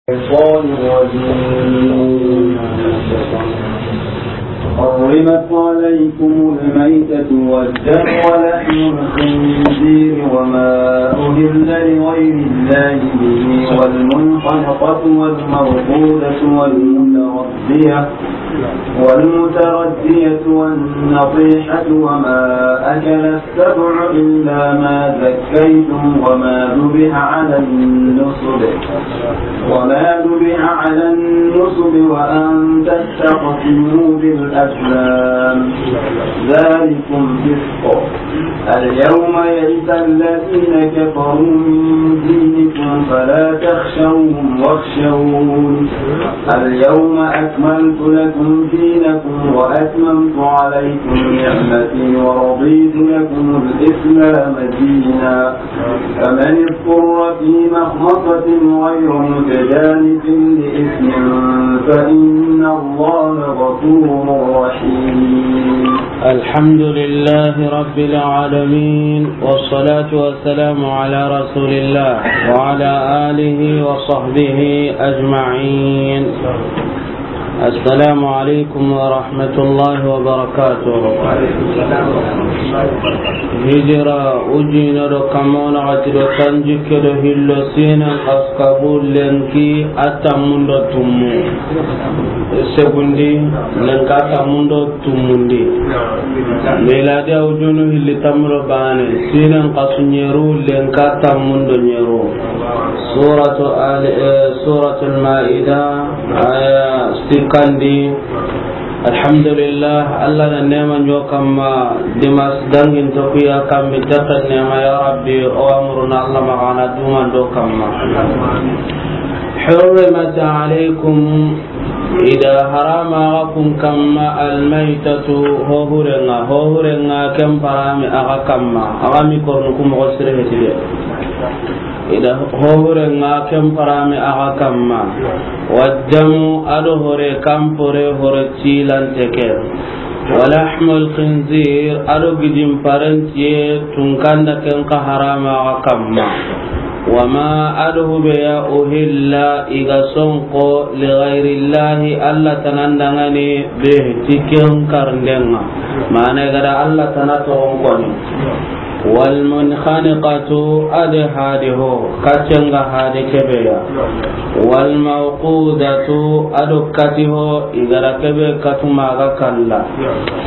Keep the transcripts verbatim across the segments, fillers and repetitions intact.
الشيطان الرجيم. حرمت عليكم الميتة والدم ولحم الخنزير وما أهل لغير الله به والمنخنقة والموقوذة والمتردية، والمتردية والنطيحة وما أكل السبع إلا ما ذكيتم وما ذبح على النصب، وما ذبح على النصب وأن تستقسموا بالأزلام، ذلكم فسق. اليوم يئس الذين كفروا من دينكم فلا تخشوهم واخشون. اليوم أكملت لكم دينكم وأتممت عليكم نعمتي ورضيت لكم الإسلام دينا. فمن اضطر في مخمصة غير متجانف لإثم فإن الله غفور رحيم. الحمد لله رب العالمين، والصلاة والسلام على رسول الله وعلى آله وصحبه أجمعين. السلام عليكم ورحمة الله وبركاته. Hijira ujina do kamona gati do tanjikke do hillo sinen kaskabu lenki atamundo tumu. Segundi lenka atamundo tumundi. Miladi a ujunu hilli tamuro bane, sinen kasu nyeru lenka atamundo nyeru. Suratu Ali, eh, Suratul Maida, aya sikandi. Alhamdulillah, Allah na nema nyo kamma, dimas dangin to kuya kammi tata nema, ya Rabbi, o amruna Allah magana duman do kamma. Hurrimat alaykum, ida harama aga kun kamma, almaytatu, hohurenga, hohurenga ken parami aga kamma, aga mi kornu ku mogo sire hetide. Ida hohurenga ken parami aga kamma. Waddamu, ado hore kampore, hore cilante ke. Walahmul khinzir, ado gidin parentiye tunkanda ken ka harama aga kamma. Wama, ado hubeya uhilla, iga sonko, lighayrillahi, Allah tanandangani, bih, ti ken karndenga. Mana igada Allah tana togon koni. Walmunkhaniqatu, ade hade ho, kacenga hade kebeya. Walmawqudatu, ado kati ho, igara kebe katu maga kalla.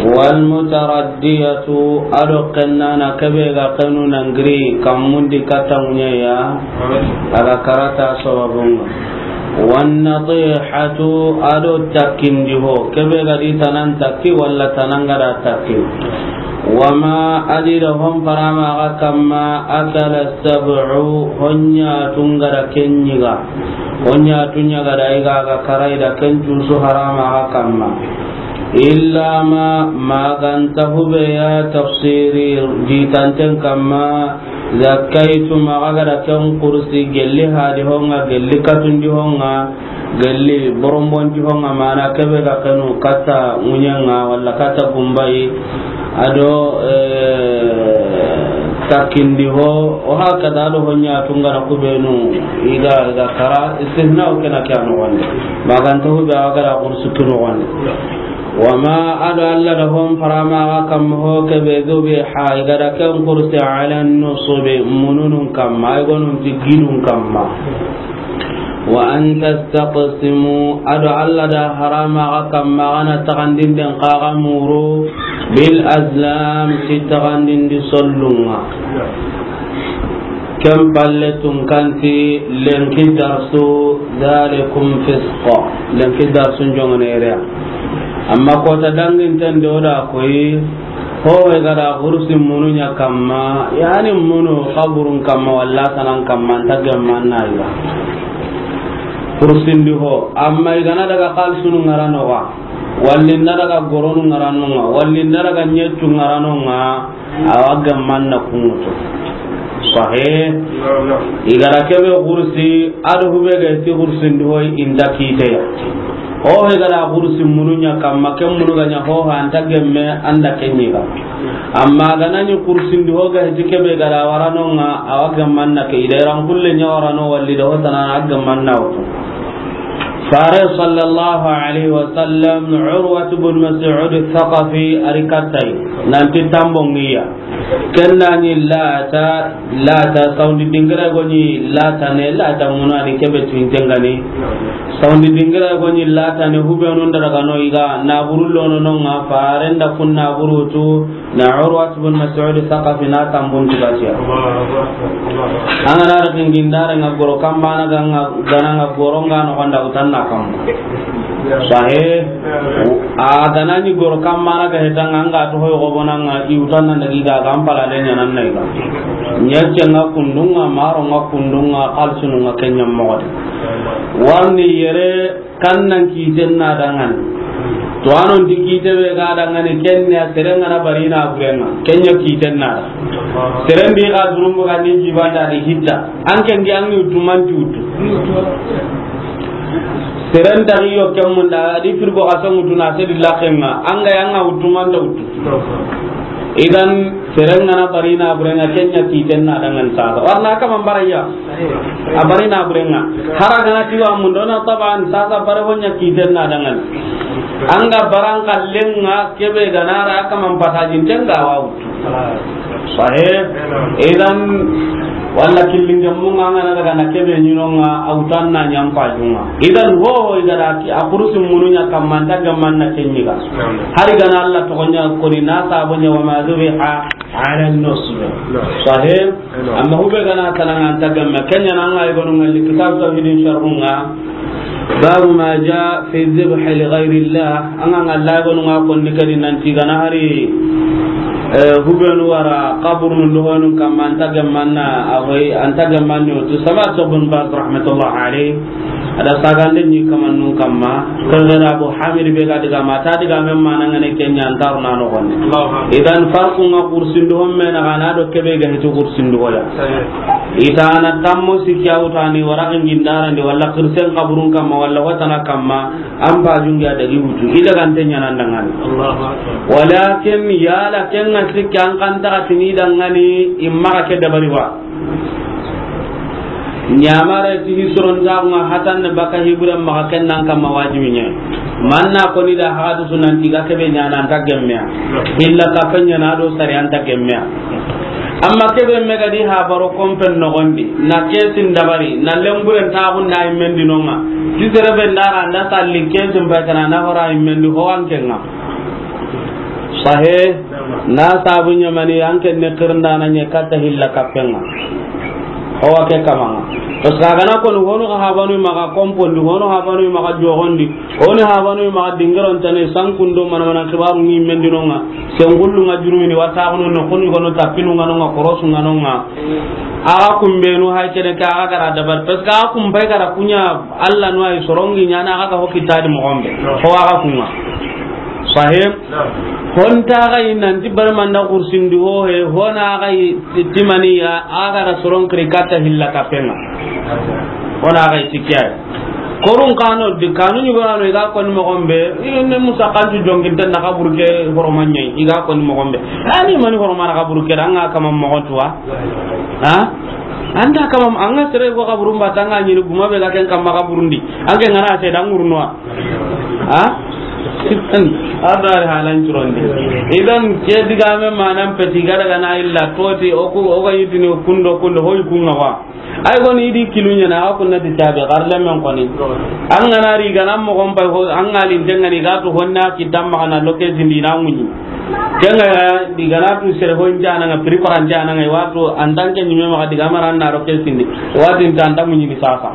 Walmutaraddiyatu, ado kennana kebe ga kenu nangiri kammundi katangunya ya, aga karata sababunga. Wannatihatu, ado takkindi ho, kebe gadi tanan takki walla tanangada takki. Wama, adi da hon parama aga kamma, akala sab'u, honya tungada kenyiga. Honya tunyagada iga aga karai da ken cusu harama aga kamma. Illa ma, maganta hubeya tafsiri jitanten kamma, zakkaytum, aga gada ken kursi gelli hadi honga, gelli katundi honga, gelli borombondi honga, mana kebe ga kenu kata ŋuɲenga walla kata gumbayi, ado, eh, takindi ho, o hakada ado honya tungana kubenu, iga, iga kara, istithna o kena kya no wande. Maganta hube aga gada kursi kino wande. Wama, ado Allah da hon parama aga kamma ho kebe zubiha, igada ken kursi ala nusubi, mununun kamma, ay gonun ti gidun kamma. Wa an tastaqsimu, ado Allah da harama aga kamma gana tagandinden kaga muru, bil azlam, ti tagandindi sollunga. Ken palle tunkanti lenki darsu, dhalikum fisq. Lenki darsu jongone ereya. Amma kota danginten de o da koyi, ho we gada kursi munu ɲa kamma, yani munu kaburun kamma, walla tanan kamma, nta gemma na yiga. Kursindi ho, amma igana daga kalsunu ŋaranoga, walli nda daga goronu ŋaranonga, walli nda daga ɲeccu ŋaranonga, awa gemmanna kuŋutu. Sahih. Igara kebe kursi, ado hube ga ti kursindi hoy inda kiteya. Ho he gara kursi munu ɲa kamma, ken munu ga ɲa ho ha anta gemme anda kenyiga. Amma ganani kursindi ho ga ti kebe gara waranonga, awa gemmanna ke ida iran kulle ɲa warano walli da ho tana a gemmanna wutu. Fare sallallahu alayhi wa sallam, Urwat ibn Mas'ud Thaqafi a ri katta yi, nanti tambon ŋa i ya. Ken na ni Lata, Lata, sawundi dingira go ni Lata ne, Lata muna ni kebe tuwinten ga ni. Sawundi dingira go ni Lata ne, hubenu nda daga no i ga, naburu lono no ŋa, faren da kun naburu tu, na Urwat ibn Mas'ud Thaqafi na tambun tugatiya. An ga na daga ŋa gindare ŋa goro kammana ga ŋa gana ŋa goro ŋa no gonda utanna kam. Sahe, a gana ni goro kammana ga hetan ŋa, an ga to hoyo go bonan ŋa i utanna daga i ga ga an pala le ɲanan na i ga. Ɲacce ŋa kundun ŋa, maro ŋa kundun ŋa, xalsunu ŋa, ken ɲa moxo de. Warni yere Kan nan kiten na dangani. To anon ti kite be ga dangani, ken ya seren ga na bari na buren ŋa, ken ya kiten na da. Seren di ga durumbu ga ni jibanda di hitta. An ken di an ni utu man ti utu. Seren ta yo ken mun da di firgo ga san utu na se di laken ŋa. An ga yan ŋa utu man ta utu. Idan, seren ga na bari na buren ŋa, ken ya kiten na dangani sasa. Warna kaman baraya. A bari na buren ŋa. Hara ga na tiwa mundo na taban sasa bare ho ɲa kiten na dangani. An ga baran kallen ŋa kebe ga na ra kaman patajin ten ga wa utu. Sahe. Idan, walla killin jamu ŋa an ga na daga na kebe ɲi no ŋa, a utan na ɲa an pajun ŋa. Idan, ho, ho, i ga da ki, a kurusi munu ɲa kamman ta gamman na ken ɲi ga. Hari ga na Allah to ɲa ko ni na sabo ɲa wa ma zubiha ala nusbi. Sahe. Amma hube ga na tana ŋa an ta gamme. Ken ya na an ga i gonu ŋa li kitab tawhidin sharhun ŋa. Babu ma jaa fi dhibhi li ghayri Allah. An ga ŋa la gonu ŋa ko ni kadi nan ti ga na hari, eh, hubenu wara kaburun do honun kamma an ta gamman na a hoy an ta gamman ni utu sama to Ibn Baz rahmatullah alayhi. A da sagande ni kaman nun kamma. Ko gara Abu Hamid be ga diga ma ta diga men mana ŋa ne ken ya an ta ro na no gonne. Idan farqu ŋa kursin do homme na ga na do kebe ga hiti kursin do ya. Itana tammo sikki a wutani wara gindarandi walla kirsen kaburun kamma walla watana kamma, an pajun ga dagi wutu. I daga nte ɲanan dangani. Walakin yala ken ŋa sikki an kan ta tini dangani imma ke dabari wa. Ɲamare ti hisron ta ŋa hatan ne baka hiburan maxa ken nan kamma wajibi ɲa. Manna ko ni da hadu sunan ti ga kebe ɲana an ta gemmeya. Illa ka fanya na do sari an ta gemmeya. Amma kebe me ga di habaro kompen nogondi, na kesin dabari, na lemburen taxun da immendi no ŋa. Ti serebe ndara nda salli kesin bay kana na hora immendi ho an ken ŋa. Sahe, na sabu ɲamani an ken ne kirnda na ɲe katta hilla kappen ŋa. Ho wa ke kaman ŋa. Parce que a ga na ko ni hono habanu maxa kompondi, hono habanu maxa joxondi, Oni habanu maxa dingiron tane sankundo mana mana kibaru ni mendino ŋa. Sengullu ŋa jurumini wata kono no koni kono tapinu ŋa no ŋa korosu ŋa no ŋa. Aga kumbenu hay kene ka aga gara dabar parce que aga kumbay gara kunya Allah no ay sorongi ɲana aga ga hokki tadi mo gombe. Ko aga kunga. Sahib. Honta ga inanti barmanda kursindi ho he hona ga timaniya aga da soron kri kata hilla kapenga. Hona ga tikya. Korun kano di kanu ɲugorano i ga koni mogonbe, i ne musa kantu jonginten na kaburu ke horomanyai, i ga koni mogonbe. Ani mani horomana kaburu ke da, an ga kama mogontuwa. Ha? An da kama, an ga sere go kaburu mbata, an ga ɲini guma be ga ken kama kaburundi. An ke ngana se da ngurunwa. Ha? Adari halan curondi. Idan ke digame manan peti ga daga na illa toti, oku, oga yitini kundo, kundo, hoy kunga wa. Ay goni idi kilu ɲana, a kunna di tabe, xar lemmen koni. An gana ri gana mogon pay ho, an ga lin tengani ga to honna ki tamma kana loke zindi na ŋuɲi. Kenga di gana tu sere ho njana nga prepare njana nga wato an tanke ni me ma di gamara na loke zindi. Wati tanta ŋuɲi ni sasa.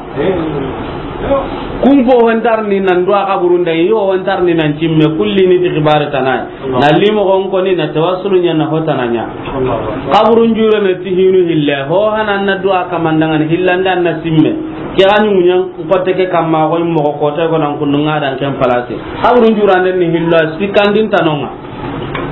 Kun po hontar ni nan do a kaburun da yo hontar ni nan cimme kulli ni ti xibare tanai. Na limo gon koni na tawassulu ɲa na hotana ɲa. Kaburun jure ne ti hinu hille. Ho hanan na du'a kamandangani hillanda na simme. Ke ga ɲumu ɲan kote ke kamma ko mo ko kota ko nan kundu nga dan ken place. Kaburun jurande ni hilla sikandin tanonga.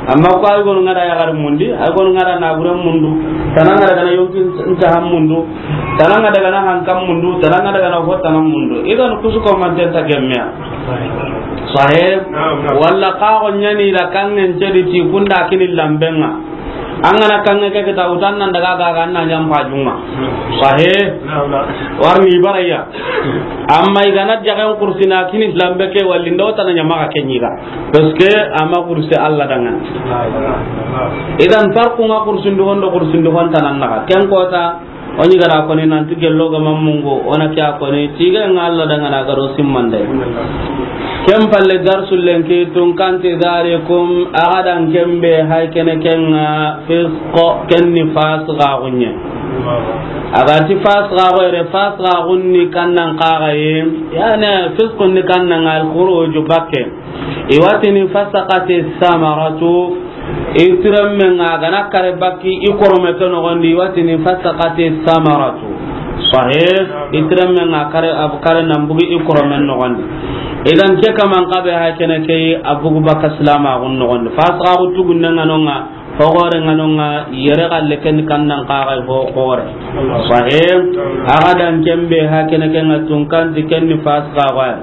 Amma ko ay gonu ngada ya gar mundi, ay gonu ngada na buran mundu. Tananga daga na yonkin nta ham mundu. Tananga daga na hankam mundu, tananga daga na hotana mundu. Idan kusu ko man tenta gemmiya. Sahib. Naam, naam. Walla ka go ɲani da kangen cedi ti kunda kini lambenga. An ga na kanŋe ke kita, wutan nan daga ga, ga na ɲa n pajunŋa. Sahe. Warni baraya. Amma i ga na jagan kursina kini lambe ke, walli ndo tana ɲa maxa ke ɲi ga. Parce que a ma kursi Alla danŋa. Idan farqu ŋa kursindu hondo, kursindu honta nan naxa. Ken kota, o ɲi ga da koni nanti gello ga ma mungu, o na ke ya koni, tiga ŋa Alla danŋa na ga ro simmande. Ken palle darsu lenki tunkanti, zalikum, a ga da ken be hay kene ken ŋa, fisqo, ken ni fasiqaxu ɲa. A ga ti fasiqaxu yere, fasiqaxu ni kannan kaxaye, yani fisqu ni kannan ŋa, al khuruju bakke. I wa tini fasaqati samaratu, i tirenmen ŋa ga na kare bakki i korome ke noxondi, i wa tini fasaqati samaratu. Sahih, i tirenmen ŋa kare, a kare nan bugi i koromen noxondi. Idan ke kaman kabe ha kene ke a bugu baka silamaxun noxondi. Fasiqaxu tugunnen ŋa no ŋa, hoxore ŋa no ŋa, yere xalle ken kannan kaxay ho xore. Sahih, a ga da ken be ha kene ke ŋa tunkanti ken ni fasiqaxu ya.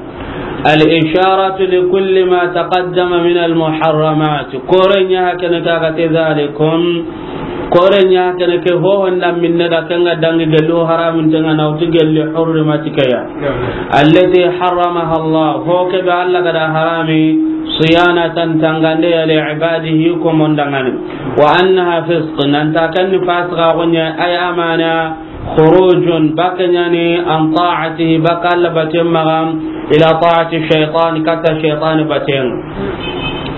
الإشارة لكل ما تقدم من المحرمات. Kore ɲa ha kene ke a ga ti zalikum. Kore ɲa ha kene ke ho honda minne da ken ga dangi gelli ho haramun tenŋa na wuti gelli hurrimat ke ya. التي حرمها الله. Ho ke be Alla ga da harami, صيانة tangande ya, لعباده ko mondanŋani. وأنها فسق, nan ta ken ni fasiqaxu ɲa, ay amana, خروج, bakke ɲa ni, عن طاعته, baka Alla baten maxa, إلى طاعة الشيطان, katta shaytan baten.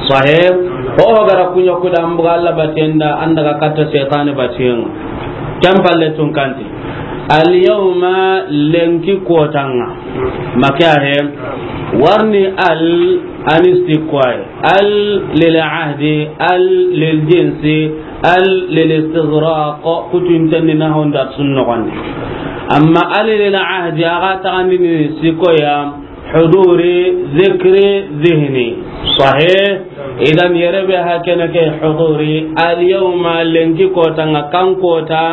Sahih? Ho ga ra kuɲa kuda, an buga Alla baten da, an daga katta shaytan baten. Ken palle tunkanti. اليوم, lenki kotanŋa. Maka he. Warni al, anisti kwai. Al lil ahdi, al lil jinsi, al lil istighraq, kutuntenni na honda sunnoxondi. Amma al lil ahdi, a ga taxandini sikoya, huduri, zikri, zihni. Sahih? Idan yere be ha kene ke huduri, al yawma, lenki kotanŋa, kan kota,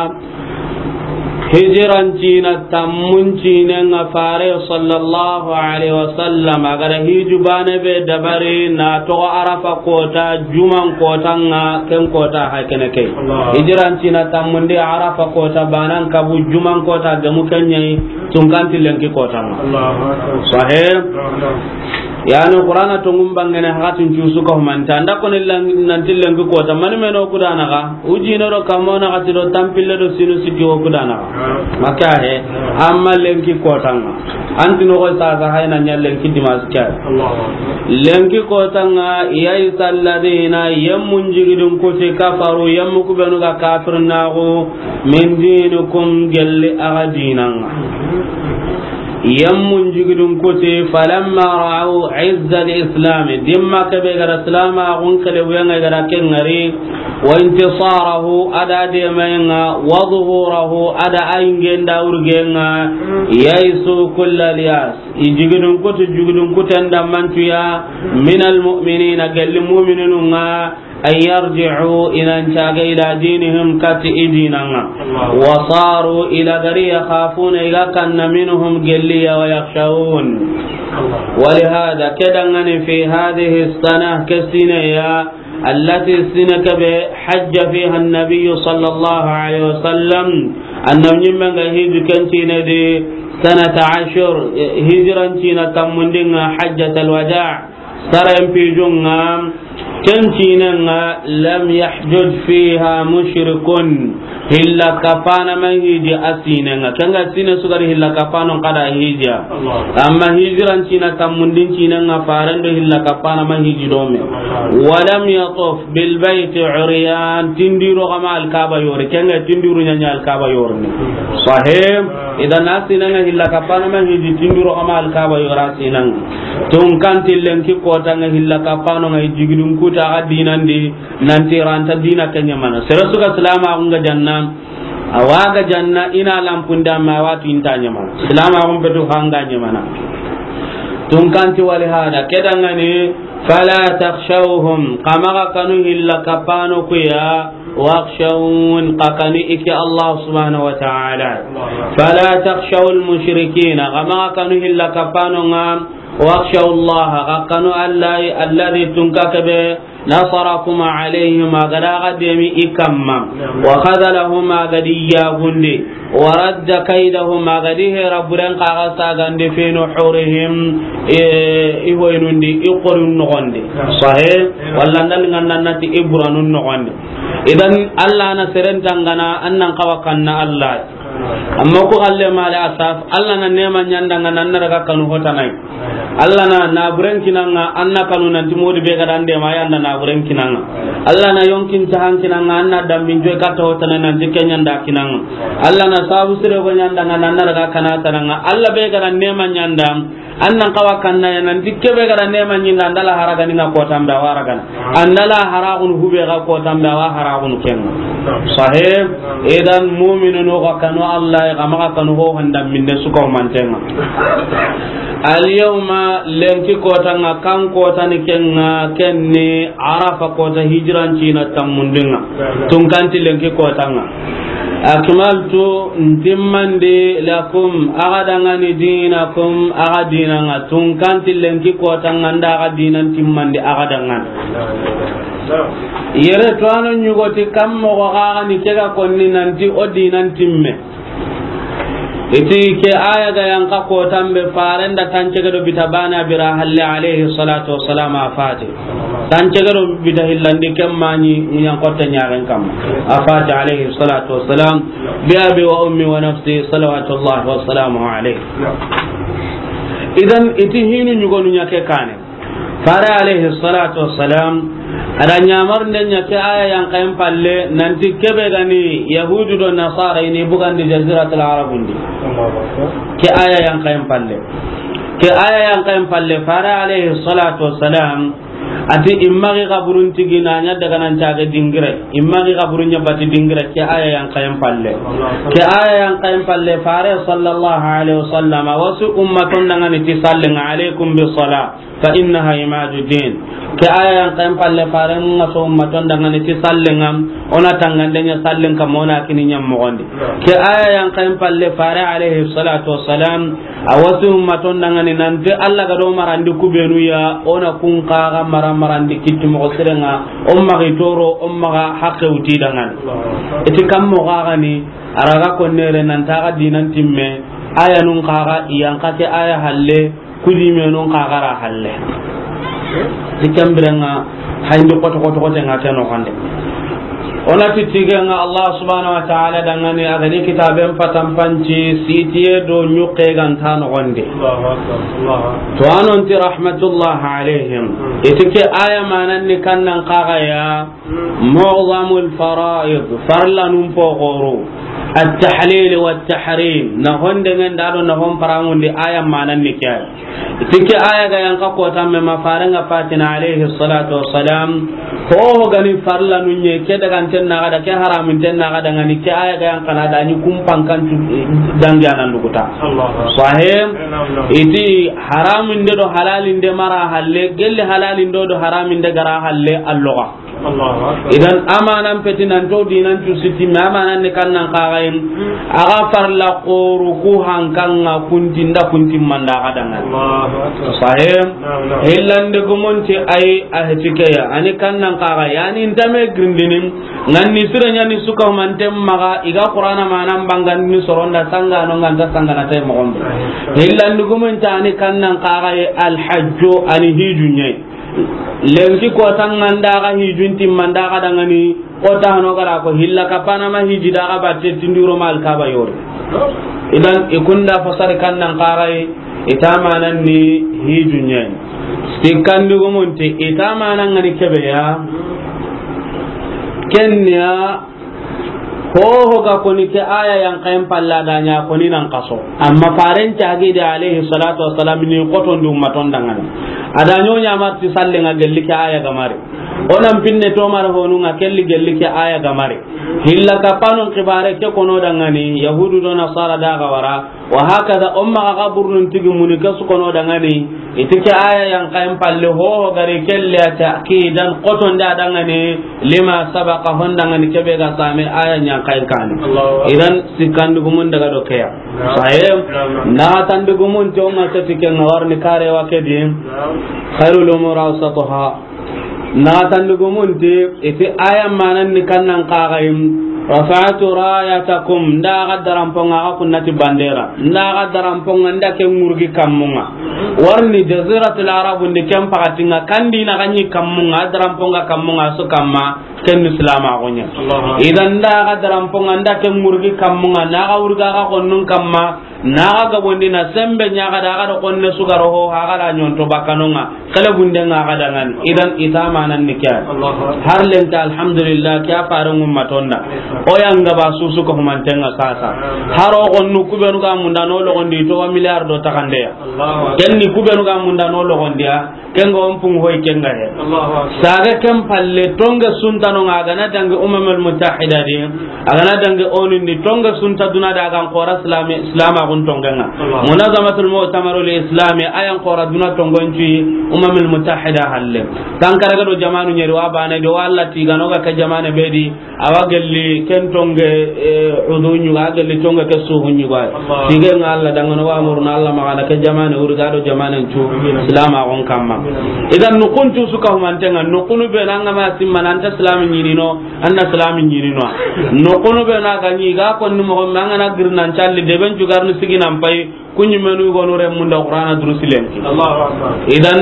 Hijiran cina tammun cinen ŋa, Fare sallallahu alaihi wasallam a ga da hiju bane be dabari na toxo Arafa kota, juman kotanŋa, ken kota ha kene ke. Allah. Hijiran cina tammundi Arafa kota banan kabu, juman kota gemu, ken ɲa yi tunkanti lenki kotanŋa. Allahu akbar. Sahih. Naam, naam. Yani Qur'ana tongun bangene hakatin cusu ka humanta. An da koni lang-, nanti lenki kota. Mani meno kudana ga. Ujine do kamo na gati do tampille do sinu sikki wo kudana ga. Maka he. Amma lenki kotanŋa. Anti no ko sasa hayna ɲa lenki dimas kya. Allahu akbar. Lenki kotanŋa, ya'isa alladhina, yemmun jigidun kuti, kafaru, yemmu kubenu ga kafir nago, min dinikum, gelli a ga dinanŋa. Yemmun jigidun kuti, falamma ra'aw izza al-islam, dimma kebe ga da silamaxun kele wuyanŋa ga da ken ŋari, wa intisarahu, a da demayenŋa, wa zuhurahu, a da ayingen da wurgenŋa, ya'isu kullal ya'is, i jigidun kuti, jigidun kuten da mantuya, min al-mu'minina, gelli mu'mininun ŋa, an yarji'u, i nan caga ila dinihim, kati i dinanŋa. Allah. Wa saru, i lagari, yakhafuna, i ga kanna, minhum, gelli ya, wa yakhshawun. Allah. Wa lihada, kedangani fi hadhihi sana, ke sine ya, allati, sine kebe, hajja fiha an-nabiyyu sallallahu alaihi wasallam, annabi ɲimmen ga hiju ken sine di, sanata ashur, eh, hijiran cina tammundinŋa, hajjatal wada'. Saren pijunŋa, ken cinenŋa, lam yahjuj fiha mushrikun. Hilla kapana ma hiji a sinenŋa. Kenga sine sugari hilla kapanon kada hija. Allah. Amma hijiran cina tammundin cinenŋa, farendo hilla kapana ma hiji dome. Allah. Wa lam yatuf bil bayti uryan. Tindiro kama Alkaba yori. Kenga tindiro ɲaɲa Alkaba yori ni. Sahih. Idan a sinenŋa hilla kapana ma hiji tindiro kama Alkaba yora sinenŋa. Tunkanti lenki kotanŋa hilla kapanonŋa i jigidun kuta a ga dinandi, nanti ranta dina ke ɲamana. Sere suga silamaxun ga janna, a wa ga janna, i na lampunda ma a wa tu inta ɲamana. Silamaxun petu hanga ɲamana. Tunkanti wa lihada, kedangani, fala takhshawhum, xa maxa kanu hilla kapano kuya, wakhshawun, xa kanu i ke Allah subhanahu wa ta'ala. Fala takhshawul mushrikina, xa maxa kanu hilla kapanonŋa, wakhshaw Allah, xa kanu Allah, alladhi tunka kebe, نصركم عليهم, a ga da xa demi i kanma. وخذلهم, a ga da i yaagundi. ورد كيدهم, a ga da i hera buren xa ga sagandi في نحورهم, e, i hoynun di, i qorun noxon di. Sahe, walla ndal nganna nati i buranun noxon di. Idan, Alla na seren tangana, an nan xawa kanna Alla. Amma ku xalle male asaf, Alla na neema ɲa an da ŋa, an na daga kanu hotanai. Alla na naburen kinaŋa, an na kanu nanti modi be ga da an dema, a ya nda naburen kinaŋa. Alla na yonkin tahan kinaŋa, an na dambin joy katta hotanai nanti ke ɲa an da kinaŋa. Alla na sabu sire go ɲa an da ŋa, an na daga kana tanaŋa. Alla be ga da neema ɲa an da, an nan xawa kanna ya nanti ke be ga da neema ɲi an da, an da la haraga ni ŋa kotan be a wa ragana. An da la haragun hube ga kotan be a wa haragun kenŋa. Sahe, idan mu'minunu ga kanu Alla, ga maxa kanu ho handa minde suko mantenŋa. Al yawma, lenki kotanŋa, kan kotani kenŋa, kenni Arafa kota hijran cina tammundinŋa. Tunkanti lenki kotanŋa. Akmaltu, ntimmandi, lakum, a ga da ŋa ni, dinakum, a ga dinaŋa. Tunkanti lenki kotanŋa nda a ga dinan timmandi a ga da ŋa ni. Yere to ano ɲugoti kam moxo xa ga ni ke ga konni nanti o dinan timme. Iti ke aya ga yan xa kotan be faren da tancege do bita bana bira halle alayhi salatu wassalam a fati. Tancege do bita hillandi ken maɲi ɲan kotte ɲaren kamma. A fati alayhi salatu wassalam. Bi abi wa ummi wa nafsi salawatullahi wa salamuhu alayhi. Idan iti hinu ɲugonu ɲa ke kane. Fare alayhi salatu wassalam, a da ɲamarinde ɲa ke aya yan xayen palle, nanti ke be ga ni Yahudu do Nasara i ni bugandi Jaziratul Arabun di. Ke aya yan xayen palle. Ke aya yan xayen palle, fare alayhi salatu wassalam, ati i maxi xaburun tigi na ɲa daga nan cage dingire, i maxi xaburun ɲa bati dingire, ke aya yan xayen palle. Ke aya yan xayen palle, fare sallallahu alayhi wasallam, a wa su ummaton dangani ti sallinŋa, alaykum bis sala. Fa innaha imaduddin. Ke aya yan xayen palle, faren ŋa so ummaton dangani ti sallinŋa, o na tangande ɲa sallin kamma, o na kini ɲa moxon di. Ke aya yan xayen palle, fare alayhi salatu wassalam, a wa su ummaton dangani nanti Alla ga do marandi ku benu ya, o na kun xa ga mara marandi kitti moxo sirenŋa, o maxi toro, o maxa haqqe wuti dangani. Iti kam moxo xa ga ni, a ra ga konnere nanti a ga dinan timme, aya nun xa ga i yan xa ke aya halle, Kudi menun xa ga ra halle. Ti ken birenŋa, hayndi koto koto kote ŋa ke noxon di. O na ti tigenŋa Allah subhanahu wa ta'ala dangani, a ga ni kitaben patanpanci, sitiye do ɲuxe ga nta noxon di. Allahu akbar, Allahu akbar. To a non ti rahmatullah alayhim. Hmm. Iti ke aya manan ni kannan xa ga ya, معظم الفرائض, farlanun poxoru, التحليل والتحريم, na hondengen da do na hon parangundi, aya manan ni ke. Ti ke aya ga yan xa kotan me ma farenŋa fatina alayhi salatu wassalam, ho ho ga ni farlanun ɲa, ke daganten na ga da, ke haraminten na ga da ŋa ni, ke aya ga yan xa na da ni kumpan kan tu, eh, dangi anan duguta. Allahu akbar. Sahih. Na'am, na'am. Iti haraminde do halalinde mara halle, gelli halalinde do haraminde ga ra halle, alloga. Allahu akbar. Idan amanan peti nan to dinan tu siti, ma amanan ni kannan xa ga yin. A ga farla xoru ku hankanŋa kuntinda kuntimmanda ga dangani. Allahu akbar. Sahih. Na'am, na'am. Hillandi gumunti ay a heti ke ya. Ani kannan xa ga yani ntame girindini. Nganni sira ɲani suka mante maxa, i ga Qur'ana manan bangandini soronda sanga no nganta sanga na tay moxon be. Sahih. Hillandi gumunti ani kannan xa ga ye alhajju ani hijunye. Lenki kotanŋa nda ga hijun timmanda ga dangani, kota hano ga ra ko hilla kapana ma hiji da ga batte tinduro ma Alkaba yori. Idan i kunda fasari kannan xa ga yi, i ta manan ni hijunye. Sikkandi gumunti, i ta manan ŋa ni ke be ya. Kenya Ho ho ga koni ke aya yan kayen palla da ɲa koni nan kaso. Amma faren cagi de alayhi salatu wassalam ni koton di ummaton dangani. A da ɲo ɲa marti sallen ŋa gelli ke aya ga mari. O nan pinne to mara honu ŋa kelli gelli ke aya ga mari. Hilla kapanon kibare ke kono dangani, Yahudu do Nasara da ga wara. Wa hakaza, o maxa xa burnun tigi muni ke su kono dangani, i ti ke aya yan kayen palle ho ho ga ri kelle ya ta'kidan koton da dangani, lima sabaqa hon dangani ke be ga same aya yan kayen kani. Allahu akbar. Idan sikkandi gumun daga do ke ya. Na'am. Saye, na'am, na'am. Na tandi gumun to ma seti ke ŋa warni kare wa ke di. Na'am. Khairul umur awsatuha. Naxatandi gumunti, i ti aya manan ni kannan kaxayim. Rafa'tu rayatakum, nda ga daranponga ga kunnati bandera, nda ga daranponga nda ke ŋurgi kammunga. Warni Jaziratul Arabu ndi ken pakatinga, kandi na ganyi kammunga, daranponga kammunga su kamma, ken ni silamaxu ɲa. Idan nda ga daranponga nda ke ŋurgi kammunga, na ga wurga ga konnun kamma, na ga gabondi na sembe ɲa ga da, ga da konne sugaro ho, ha ga da ɲonto bakanonga, kala bunde nga ga da ngani. Idan i ta manan ni ke ya. Har lenta, alhamdulillah, ke ya fare ngumma tonda. O yanga ba susu ko humantenga sasa. Haro konnu kubenu ga munda no logondi to wa milliard do takandeya. Ken ni kubenu ga munda no logondiya. Kenga on pung hoy kenga he. Saga ken palle tonga suntano nga a ga na dangi Umamul Mutahida di, a ga na dangi onu ndi tonga sunta duna da a ga n kora silami, silamaxun tongenga. Munazamatul Mu'tamarul Islami a ya n kora duna tongon cuyi Umamul Mutahida halle. Tankara ga do jamanu ɲeri wa bane do wa Allah tigano ga ke jamane be di, awa gelli ken tonge, eh, udu ɲuga, a gelli tonge ke suhu ɲuga. Tige nga Allah dangano wa murna Allah magana ke jamane wuri ga do jamane cu silamaxun kamma. Idan nukun cu su ka humantenga, nukunu be na nga ma simma na anta silami ɲinino, anna silami ɲinino. Nukunu be na ga ɲi ga konni moxo me an ga na girnan calli deben cu garni siginan pay. Kuɲi menu gonu remunda Qur'ana durusi lenki. Idan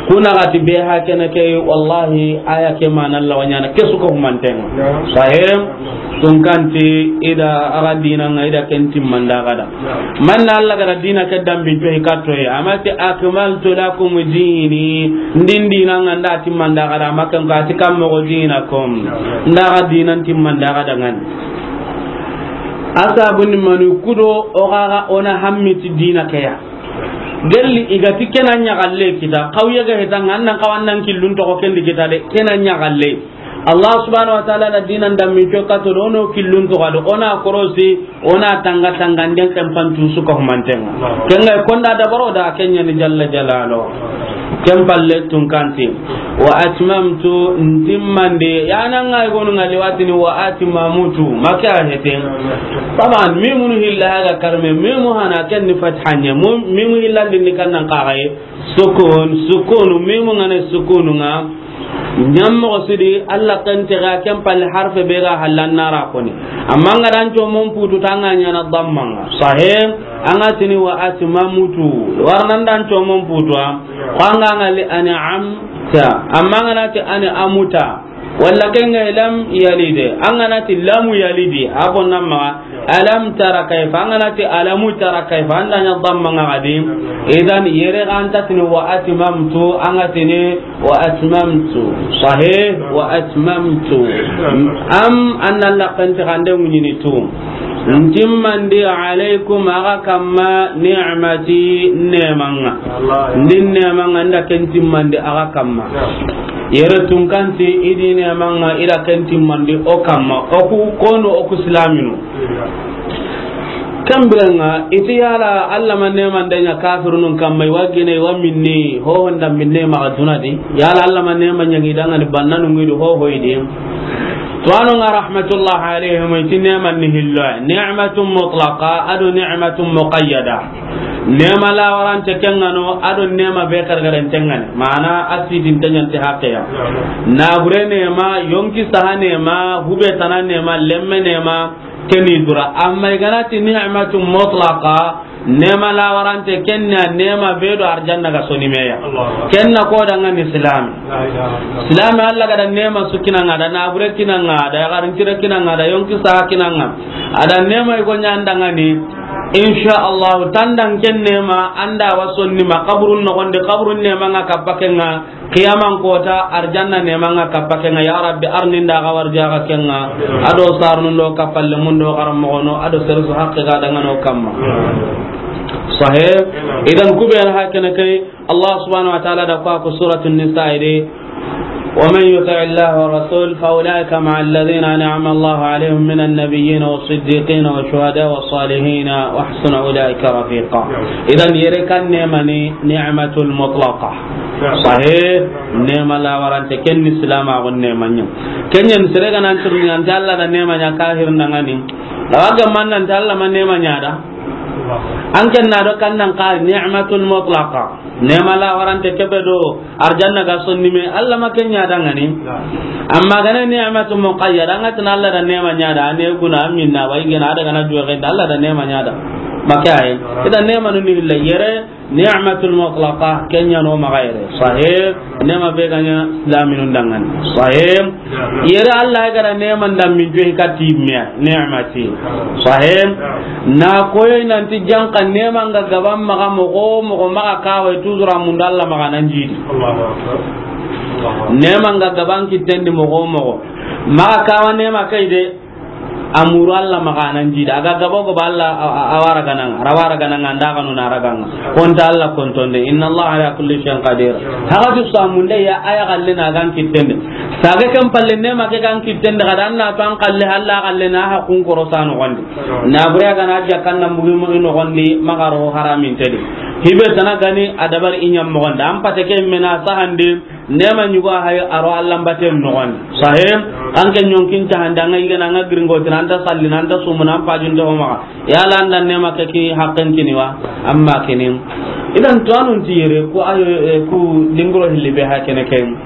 kuna gati be ha kene ke, wallahi aya ke mana Allah wanyana ke su ko humantenga. Sahim tunkanti ida aga dina nga ida ken timmanda gada. Manna Allah gada dina ke dambi to hikatto ya. Amati akmaltu lakum dini. Ndin dina nga nda timmanda gada, makan ka ti kam mo dinakum. Nda ga dina timmanda gada ngan. Asabu ni manu kudo o gaga ona hammiti dina keya. Gelli igati kena ɲagalle kita, kawye ga hetanga annan kawannan killun toxo kendi kita de, kena ɲagalle. Allah subhanahu wa ta'ala na dinan dammi co kato do, ono killun toxo do, ona korosi, ona tanga tanga nden kempan tusu ka humantenga. Kenga konda dabaro da kenya ni jalla jalalo. Ken palle tunkanti. Wa atmamtu, ntimmandi, yana ngai gonu ngali watini wa atmamtu, make a hete. Taban, mimunu hilla haga karme, mimu hana ken ni fathanye, mu-, mimu hilla ndi ni kannan kagaye. Sukun, sukunu, mimu ngane sukunu nga. Nyammo sidi, Allah kan tega ken palle harfe be ga hallan nara koni. Amma nga dan co mon putu tanga nyana dammanga. Sahih, anga tini wa atmamtu. Warnan dan co mon putu. Ko an ga na li an'amta, amma an ga na ti an'amuta, walla ken ga lam yalide, an ga na ti lamu yalidi, a ko namma, alam tara kayfa, an ga na ti alamu tara kayfa, an da ɲa damma nga gadi. Idan yere ga anta tini wa atmamtu, an ga tini wa atmamtu. Sahih, wa atmamtu. Am anna la kan ti gande munyini tu. Ntimmandi alaykum, aga kamma, ni'mati, nemanga. Ndin nemanga, nda ken timmandi aga kamma. Yere tunkanti, idi nemanga, ida ken timmandi o kamma. Oku kono, oku silaminu. Kambiranga, iti yala Allah ma nemande ɲa kafirunun kamma, iwa gine, iwa minni, ho honda minne maga dunadi. Yala Allah ma nema ɲangi dangani bannanu ngidu ho hoydi. Tuwanu nga rahmatullah alayhim, iti neman ni hillo, ni'matun mutlaqa, ado ni'matun muqayyada. Nema la warante kengano, ado nema be kargaren tengane. Mana asidin tenyanti haqqeya. Nabure nema, yonki saha nema, hube tana nema, lemme nema, keni dura. Amma iganati ni'matun mutlaqa, nema la warante kenna, nema be do arjanna ga soni meya. Kenna ko danga ni islam. Islam Allah gada nema su kinanga da, nabure kinanga da, garin tira kinanga da, yonki sa kinanga. Ada nema igo nyandanga ni. Insha Allah, tandan ken nema, anda wa sonni ma, kaburun no gonde, kaburun nema nga kapakenga, qiyaman kota, arjanna nema nga kapakenga, ya Rabbi, arninda ga warja ga kenga, ado sarnundo kapalle mundo garam mogono, ado sersu haqqe ga dangano kamma. Sahih. Idan kuben hakene kay, Allah subhanahu wa ta'ala da kwa ku Suratun Nisa ide, ومن يطع الله والرسول فأولئك مع الذين أنعم الله عليهم من النبيين والصديقين والشهداء والصالحين وحسن أولئك رفيقا. Idan yere kan nema ni ni'matul mutlaqa. Sahih, nema la warante ken ni silama gon nema nya. Kenyan sere ga nan turni anta Allah da nema nya kahir nangani. Lawaga man anta Allah man nema nya da. An ken na do kan nan ka ni'matul mutlaqa. Neema la warante kebe do arjanna ga sonni me, Alla ma ken ɲa da ŋa ni. Amma ga na ni'matu muqayyada, an ga ti na Alla da neema ɲa da, a ne guna, a minna, wa i gena, a daga na duwe genta, Alla da neema ɲa da. Ma ke a yi. Idan neema nu ni hilla yere, ni'matul mutlaqa, ken ɲa no maxa yere. Sahih, neema be ga ɲa silaminun da ŋa ni. Sahih, yere Alla ga da neema nda min jo i ka ti me ya, ni'mati. Sahih, na koyi nanti janka neema nga gaban maxa moxo, moxo maxa kawa, toujours a mundu Alla maxa nan jidi. Allahu akbar. Allahu akbar. Neema nga gaban kitten di moxo, moxo maxa kawa neema ke yi de, a muru Alla maxa nan jidi. A ga gabo gabo Alla a, a, a wara gananga, ra wara gananga, nda ga nu na ra ganga. Konta Alla kontonde, inna Allaha ala kulli shay'in qadir. Haga tu samunde ya, aya galle na gan kittende. Sage kan palle neema ke gan kittende, ga da an na to an kalle, Alla galle na ha kun koro sanu gondi. Na bure ga na ja kan na mugi mugi no gondi, maxa ro haramin tedi. Hibe tana gani a dabari i ɲa moxo nda. An pate ke me na sahandi, neema ɲugo hay a ro Alla mbaten noxon. Sahih, an ke ɲonkin ta handa, an ga yigana, an ga giringo tana, an ta sallina, an ta sumuna, an pajunte o maxa. Yala an da neema ke ki haqqen kini wa? Amma kini. Idan to anun ti yere ku ayo, eh, ku dingiro hilli be ha kene ken.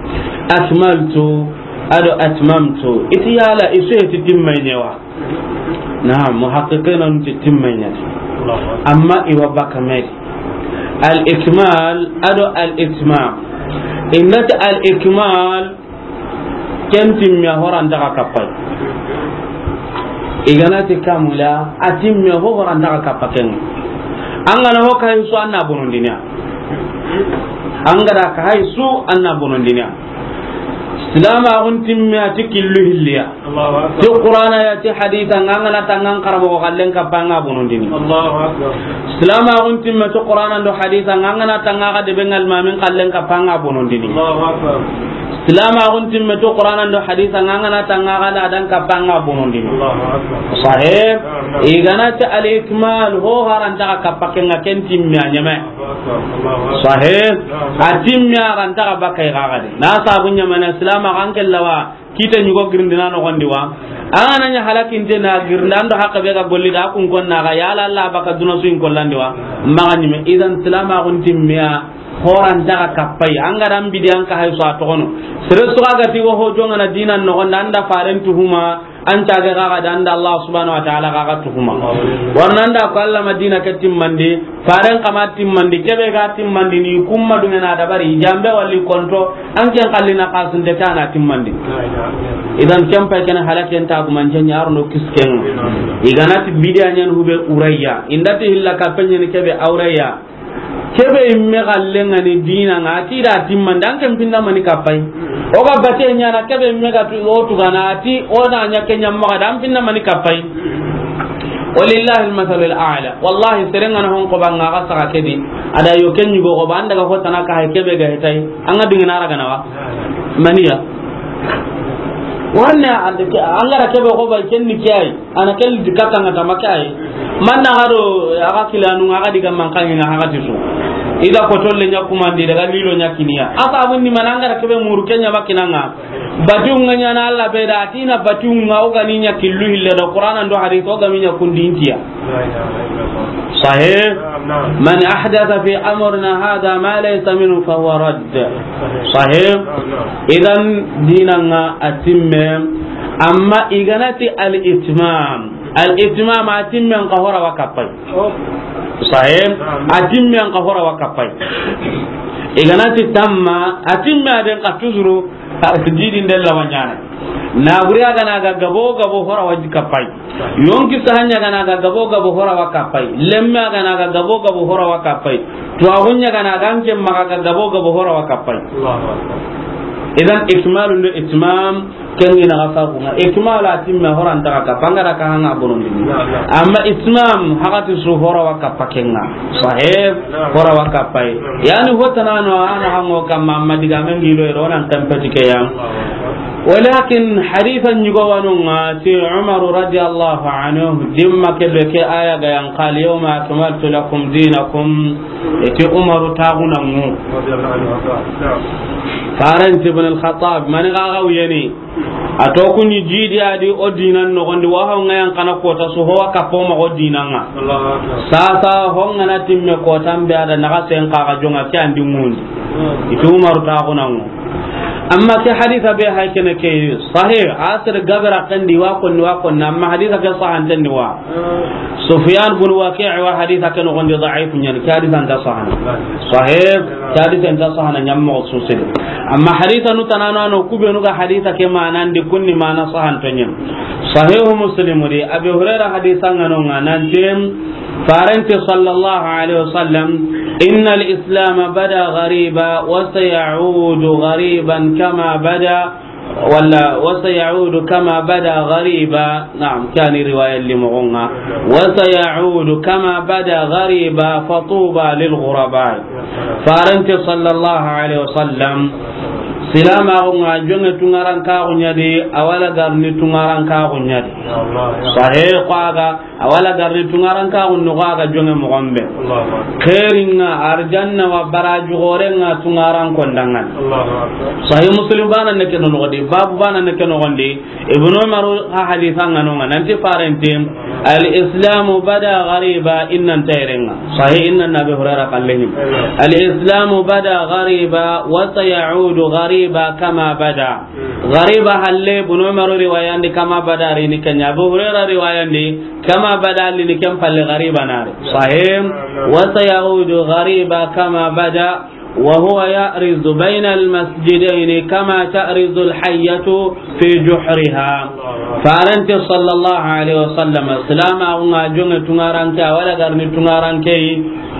Akmaltu, ado atmamtu. I ti yala i su heti timmay ne wa? Naam, muhaqqiqina nun ti timmay ne. Amma i wa baka me. Al ikmal, ado al itmam. I na ti al ikmal, ken timme a horan daga kapay. I ga na ti kamula, a timme ho horan daga kapa ken. An ga na ho kay su an na bonondini ya. An ga da ka hay su an na bonondini ya. Silamaxun timme a ti killu hilli ya. Allahu akbar. Ti Qur'ana ya, ti haditha, nga an ga na tanga an karamoxo kallen kappa, an ga bonondini. Allahu akbar. Silamaxun timme ti Qur'ana do haditha, nga an ga na tanga xa debe ngal mamin kallen kappa, an ga bonondini. Allahu akbar. Silamaxun timme ti Qur'ana do haditha, nga an ga na tanga xa ladan kappa, an ga bonondini. Allahu akbar. Sahih. Naam, naam. I ga na ti al ikmal, ho haranta xa kappa ken ŋa, ken timme a ɲeme. Allahu akbar. Allahu akbar. Sahih. Naam, naam. A timme a ranta xa bakay xa gadi. Na sabu ɲamana silamaxu an kellawa. Kite ɲugo girindina noxondi wa. An ga na ɲa halakinte na girindi, an do haqqe be ga golli da, a kun konna ga, yala Alla baka duna su in kollandi wa. Maxa ɲime, idan silamaxun timme ya, horan daga kapay. An ga da an bidi an ka hay su a toxono. Sere su ga ti wo ho jonga na dinan noxondi, an da faren tuhuma, an tage ga ga da, an da Allah subhanahu wa ta'ala ga ga tuhuma. Warna an da ko Alla ma dina ke timmandi, faren kama timmandi, kebe ga timmandi, ni kumma dungena dabari, jambe wali konto, an ken kallina kasunte tana timmandi. Idan ken pay ken halaken ta guman jen yaro no kisken. I ga na ti bidiya ɲan hube urayya, i nda ti hilla ka penyen kebe awrayya. Kebe imme gallen ŋa ni dina ŋa, a ti da timmandi, an ken pinna mani kapay. O ga bate ɲana kebe imme ga tu, o tu gana, a ti o na ɲa ke ɲamma ga da, an pinna mani kapay. Walillahi al-masalul a'la. Wallahi, seren ga na hon ko banga ga saka kedi. A da yo ken ɲugo ko banda ga hotana ka hay kebe ga hetay. An ga dingina ra gana wa. Maniya. Warne an ga ra kebe ko ba ken ni kiyai. Ana kel di kata nga tama kay. Manna gado aga kilanu nga di ga man kan nga haga tisu. Ida ko tolle nya kumandi daga lilo nya kiniya. Asa abun ni mananga da kebe muru kenya makinanga. Batu nga nya na Allah be da tina batu nga o gani nya killu hille da Qur'ana do hadith o gami nya kundintiya. Sahih. Man ahdatha fi amrina hadha ma laysa minhu fahuwa radd. Sahih. Idan dinanga atimme, amma i ga na ti al-itmam. Al-itmam, a timmen ka hora wa kapay. Sahih. A timmen ka hora wa kapay. I ga na ti tamma, a timme a den ka tuzuru, a jidin della wanyana. Na buri a ga na ga gabo gabo hora wa kapay. Yonki sahanya ga na ga gabo gabo hora wa kapay. Lemme a ga na ga gabo gabo hora wa kapay. Tuwaxunya ga na ga nke maga ga gabo gabo hora wa kapay. Allahu akbar. Idan ikmalu do itmam, ken ina ga sabu nga. Ikmalu a timme hora nta ga kappa, an ga da ka hanga bonondi. Naam, naam. Amma itmam, hagati su hora wa kappa ken ŋa. Sahih, hora wa kappa yi. Yani hotana no ana hango kamma, amma diga men gilo ero nan tampati ke ya. Walakin hadithan yugo wanu nga ti Umar radiyallahu anhu, dimma ke be ke aya ga yan qal, "Yawma akmaltu lakum dinakum." Eti Umaru taxunangu. Faranti Ibn al-Khattab, mani xaxa wuyeni. A to ku ni jidi a di o dinan noxon di, wa ho ŋa yan kana kota su ho wa kappo ma o dinan ŋa. Sasa ho ŋa na timme kotan be a da naxa sen xa ga jonŋa ke an di ŋundi. I ti Umaru ta xunanŋo. Amma ke hadisa be hay kene ke sahih, a sere gabara kandi wa konni wa konni, amma hadisa ke sahanten ni wa. Sufyan bin Waqi' wa hadisa ke noxon di da'if ɲa ni, ke hadisa nta sahana. Sahih, ke hadisa nta sahana ɲammo susiri. Amma hadisa nu tanano ano ku be nu ga hadisa ke manan di, kunni mana sahanto ɲa ni. Sahih Muslim di, Abi Hurairah hadisa ŋa no ŋa nanti, Farante sallallahu alaihi wasallam, "Innal Islam bada ghariba wa sayaudu ghariban kama bada, wala wa sayaudu kama bada ghariba." Naam, kani riwaya li moxon ŋa. "Wa sayaudu kama bada ghariba, fatuba lil ghuraba." Farante sallallahu alaihi wasallam, silamaxu ŋa jonŋe tunŋarankaxu ɲa di, a wa la garni tunŋarankaxu ɲa di. Sahih, ko a ga A wa la garni tunŋarankaxun noxo a ga jonŋe moxon be. Xeerin ŋa, arjanna wa baraju xoren ŋa tunŋaranko ndanŋa ni. Sahih Muslim bana ne ke noxon di, babu bana ne ke noxon di. Ibnu Umar ha hadisa ŋa no ŋa nanti farante, "Al Islamu bada ghariba," innan tayren ŋa. Sahih, innan Abi Hurairah kallehin. "Al Islamu bada ghariba wa sayaudu ghariba kama bada." Ghariba halle, Ibnu Umar riwayandi kama bada ri ni ke ɲa, Abu Hurairah riwayandi. Kama bada li ni ken palle ghariba nari. Sahih. Wa sayaudu ghariba kama bada, wa huwa ya'rizu bayna al-masjidayn kama ta'rizu al-hayyatu fi juhriha. Farante sallallahu alaihi wasallam, silamaxu ŋa jonŋe tunŋaranke, a wa la garni tunŋaranke yi,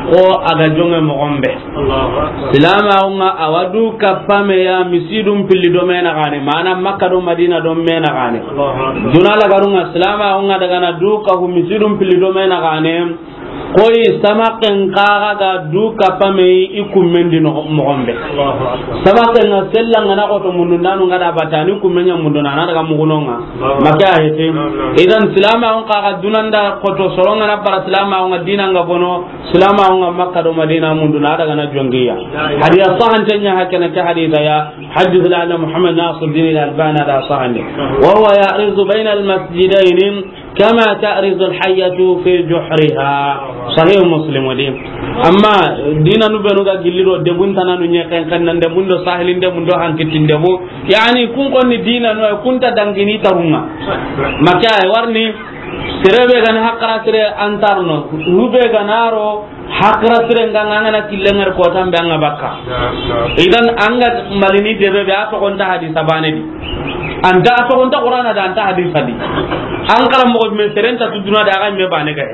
ko a ga jonŋe moxon be. Silamaxu ŋa a wa du kappa me ya misidun pilli do me naxane, mana Makka do Madina do me naxane. Duna la garu ŋa silamaxu ŋa daga na du kahu misidun pilli do me naxane, koyi samaken kaxa ga du kappa me i kummen di no-, moxon be. Samaken ŋa sella ŋa na xoto mundu ndanu ŋa da batani kummen ɲa mundu na na daga muguno ŋa. Maka hete. Idan silamaxu ŋa kaxa dunanda xoto soro ŋa na bara silamaxu ŋa dina ŋa bono. Silamaxu ŋa Makka do Madina mundu na daga na jongiya. Hadiya sahante ɲa hakene ke hadita ya. Hajju Islam Muhammad Nasiruddin Al-Albani da sahande. Wa huwa ya'rizu bayna al-masjidayn kama ta'rizu al-hayyatu fi juhriha. Sahih Muslim di. Amma dina nu benu ga gilli do debun tananu ɲe kan kan nan debun do sahilin debun do hankitin debu. Yani kun konni dina nu kunta dangini tarunga. Maka warni Sere be ga na hakara sere antarno, hube ga na ro hakara sere nga nga na kille ngar ko tambe anga bakka. Idan anga malini debe be a toxo nta hadisa bane di. Anta a toxo nta Qur'ana da anta hadisa di. An kala mo me sere nta tuduna da ga me bane ga.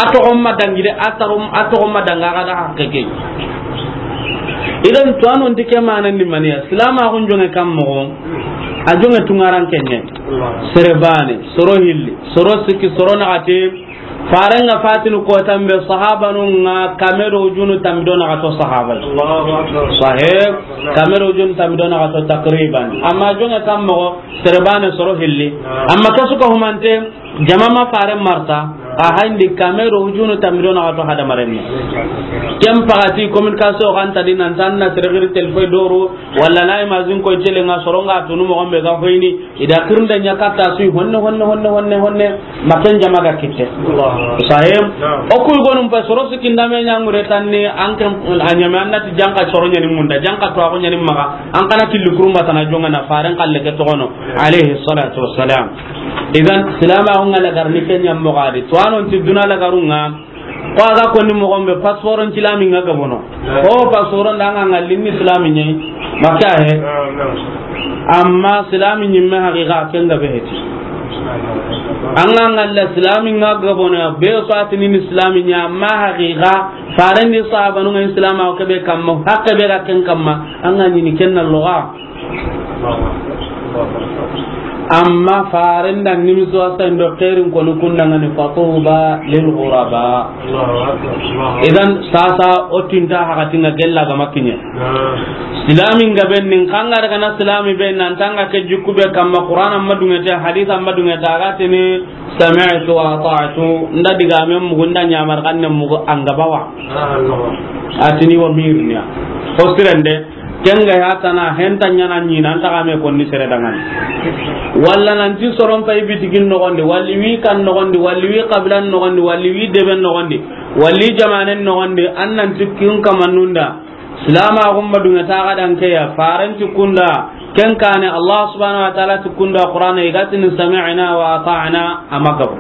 A toxo ma dangi de, a toxo ma danga ga da hakke ke. Idan to anon dike manan ni maniya. Silamaxun jonge kam moxo. A jonge tungaran kenye. Sere bane, soro hilli, soro sikki, soro naxati. Farenga fatinu kotambe sahabanun ŋa kame do ujunu tambi do naxato sahaba. Sahib, kame do ujunu tambi do naxato takriban. Amma jonge kam moxo, sere bane soro hilli. Amma kasu ka humante, jama ma faren marta, a hayndi kame do ujunu tambi do naxato hadamaren ni. Ken pagati communication xanta di nan tan na sere giri telefon doru, wala na imazin ko jele nga soronga tunu moxo be ga hoyni, ida kirnda nya katta sui honne, honne, honne, honne, honne, maken jama ga kitte. Sahib, o kuy gonum pa soro sikinda me nya ngure tanni, an kan a nyame annati janka soro nyani munda, janka to ago nyani maga, an kana killi kurumba tana jonga na faren kalle ke toxono, alayhi salatu wassalam. Idan, silama hunga la garni kenya mogadi. To anon ti duna la garunga, ko aga konni moxo be passeport n tilami nga gabono. Ko passeport nda nga ngalli ni silami nye. Maka he. Amma silami nyimme haqiqa ken ga be heti. Anga ngalla silami nga gabono be so atini ni silami nya, amma haqiqa farendi sahabanu ngi silama o ke be kamma, hakke be ga ken kamma, anga nyini kenna loga. Amma farenda nimisi wasa indo xeerin koni kundangani fatuba lil ghuraba. Idan sasa o tinta hakatinga gella ga makinye. Silami nga ben nin kanga daga na silami ben nan tanga ke jikku be kamma Qur'an amma dungete, hadith amma dungete, agatini sami'tu wa ata'tu, nda diga men mugu, nda nyamar kanne mugu, anga bawa. Atini wa mirnya. O sirende, Ken ga ya tana henta ɲaana ɲi nan ta ga me konni sere dangani. Walla nan ti soron pay bitikin noxondi, walli wi kan noxondi, walli wi qabilan noxondi, walli wi deben noxondi, walli jamanen noxondi, an nan ti kin kamannun da. Silama gumma dunga ta ga dan ke ya, faran ti kunda, ken kane Allah subhanahu wa ta'ala ti kunda Qur'ana, i ga ti ni sami'na wa ata'na, a ma gabo.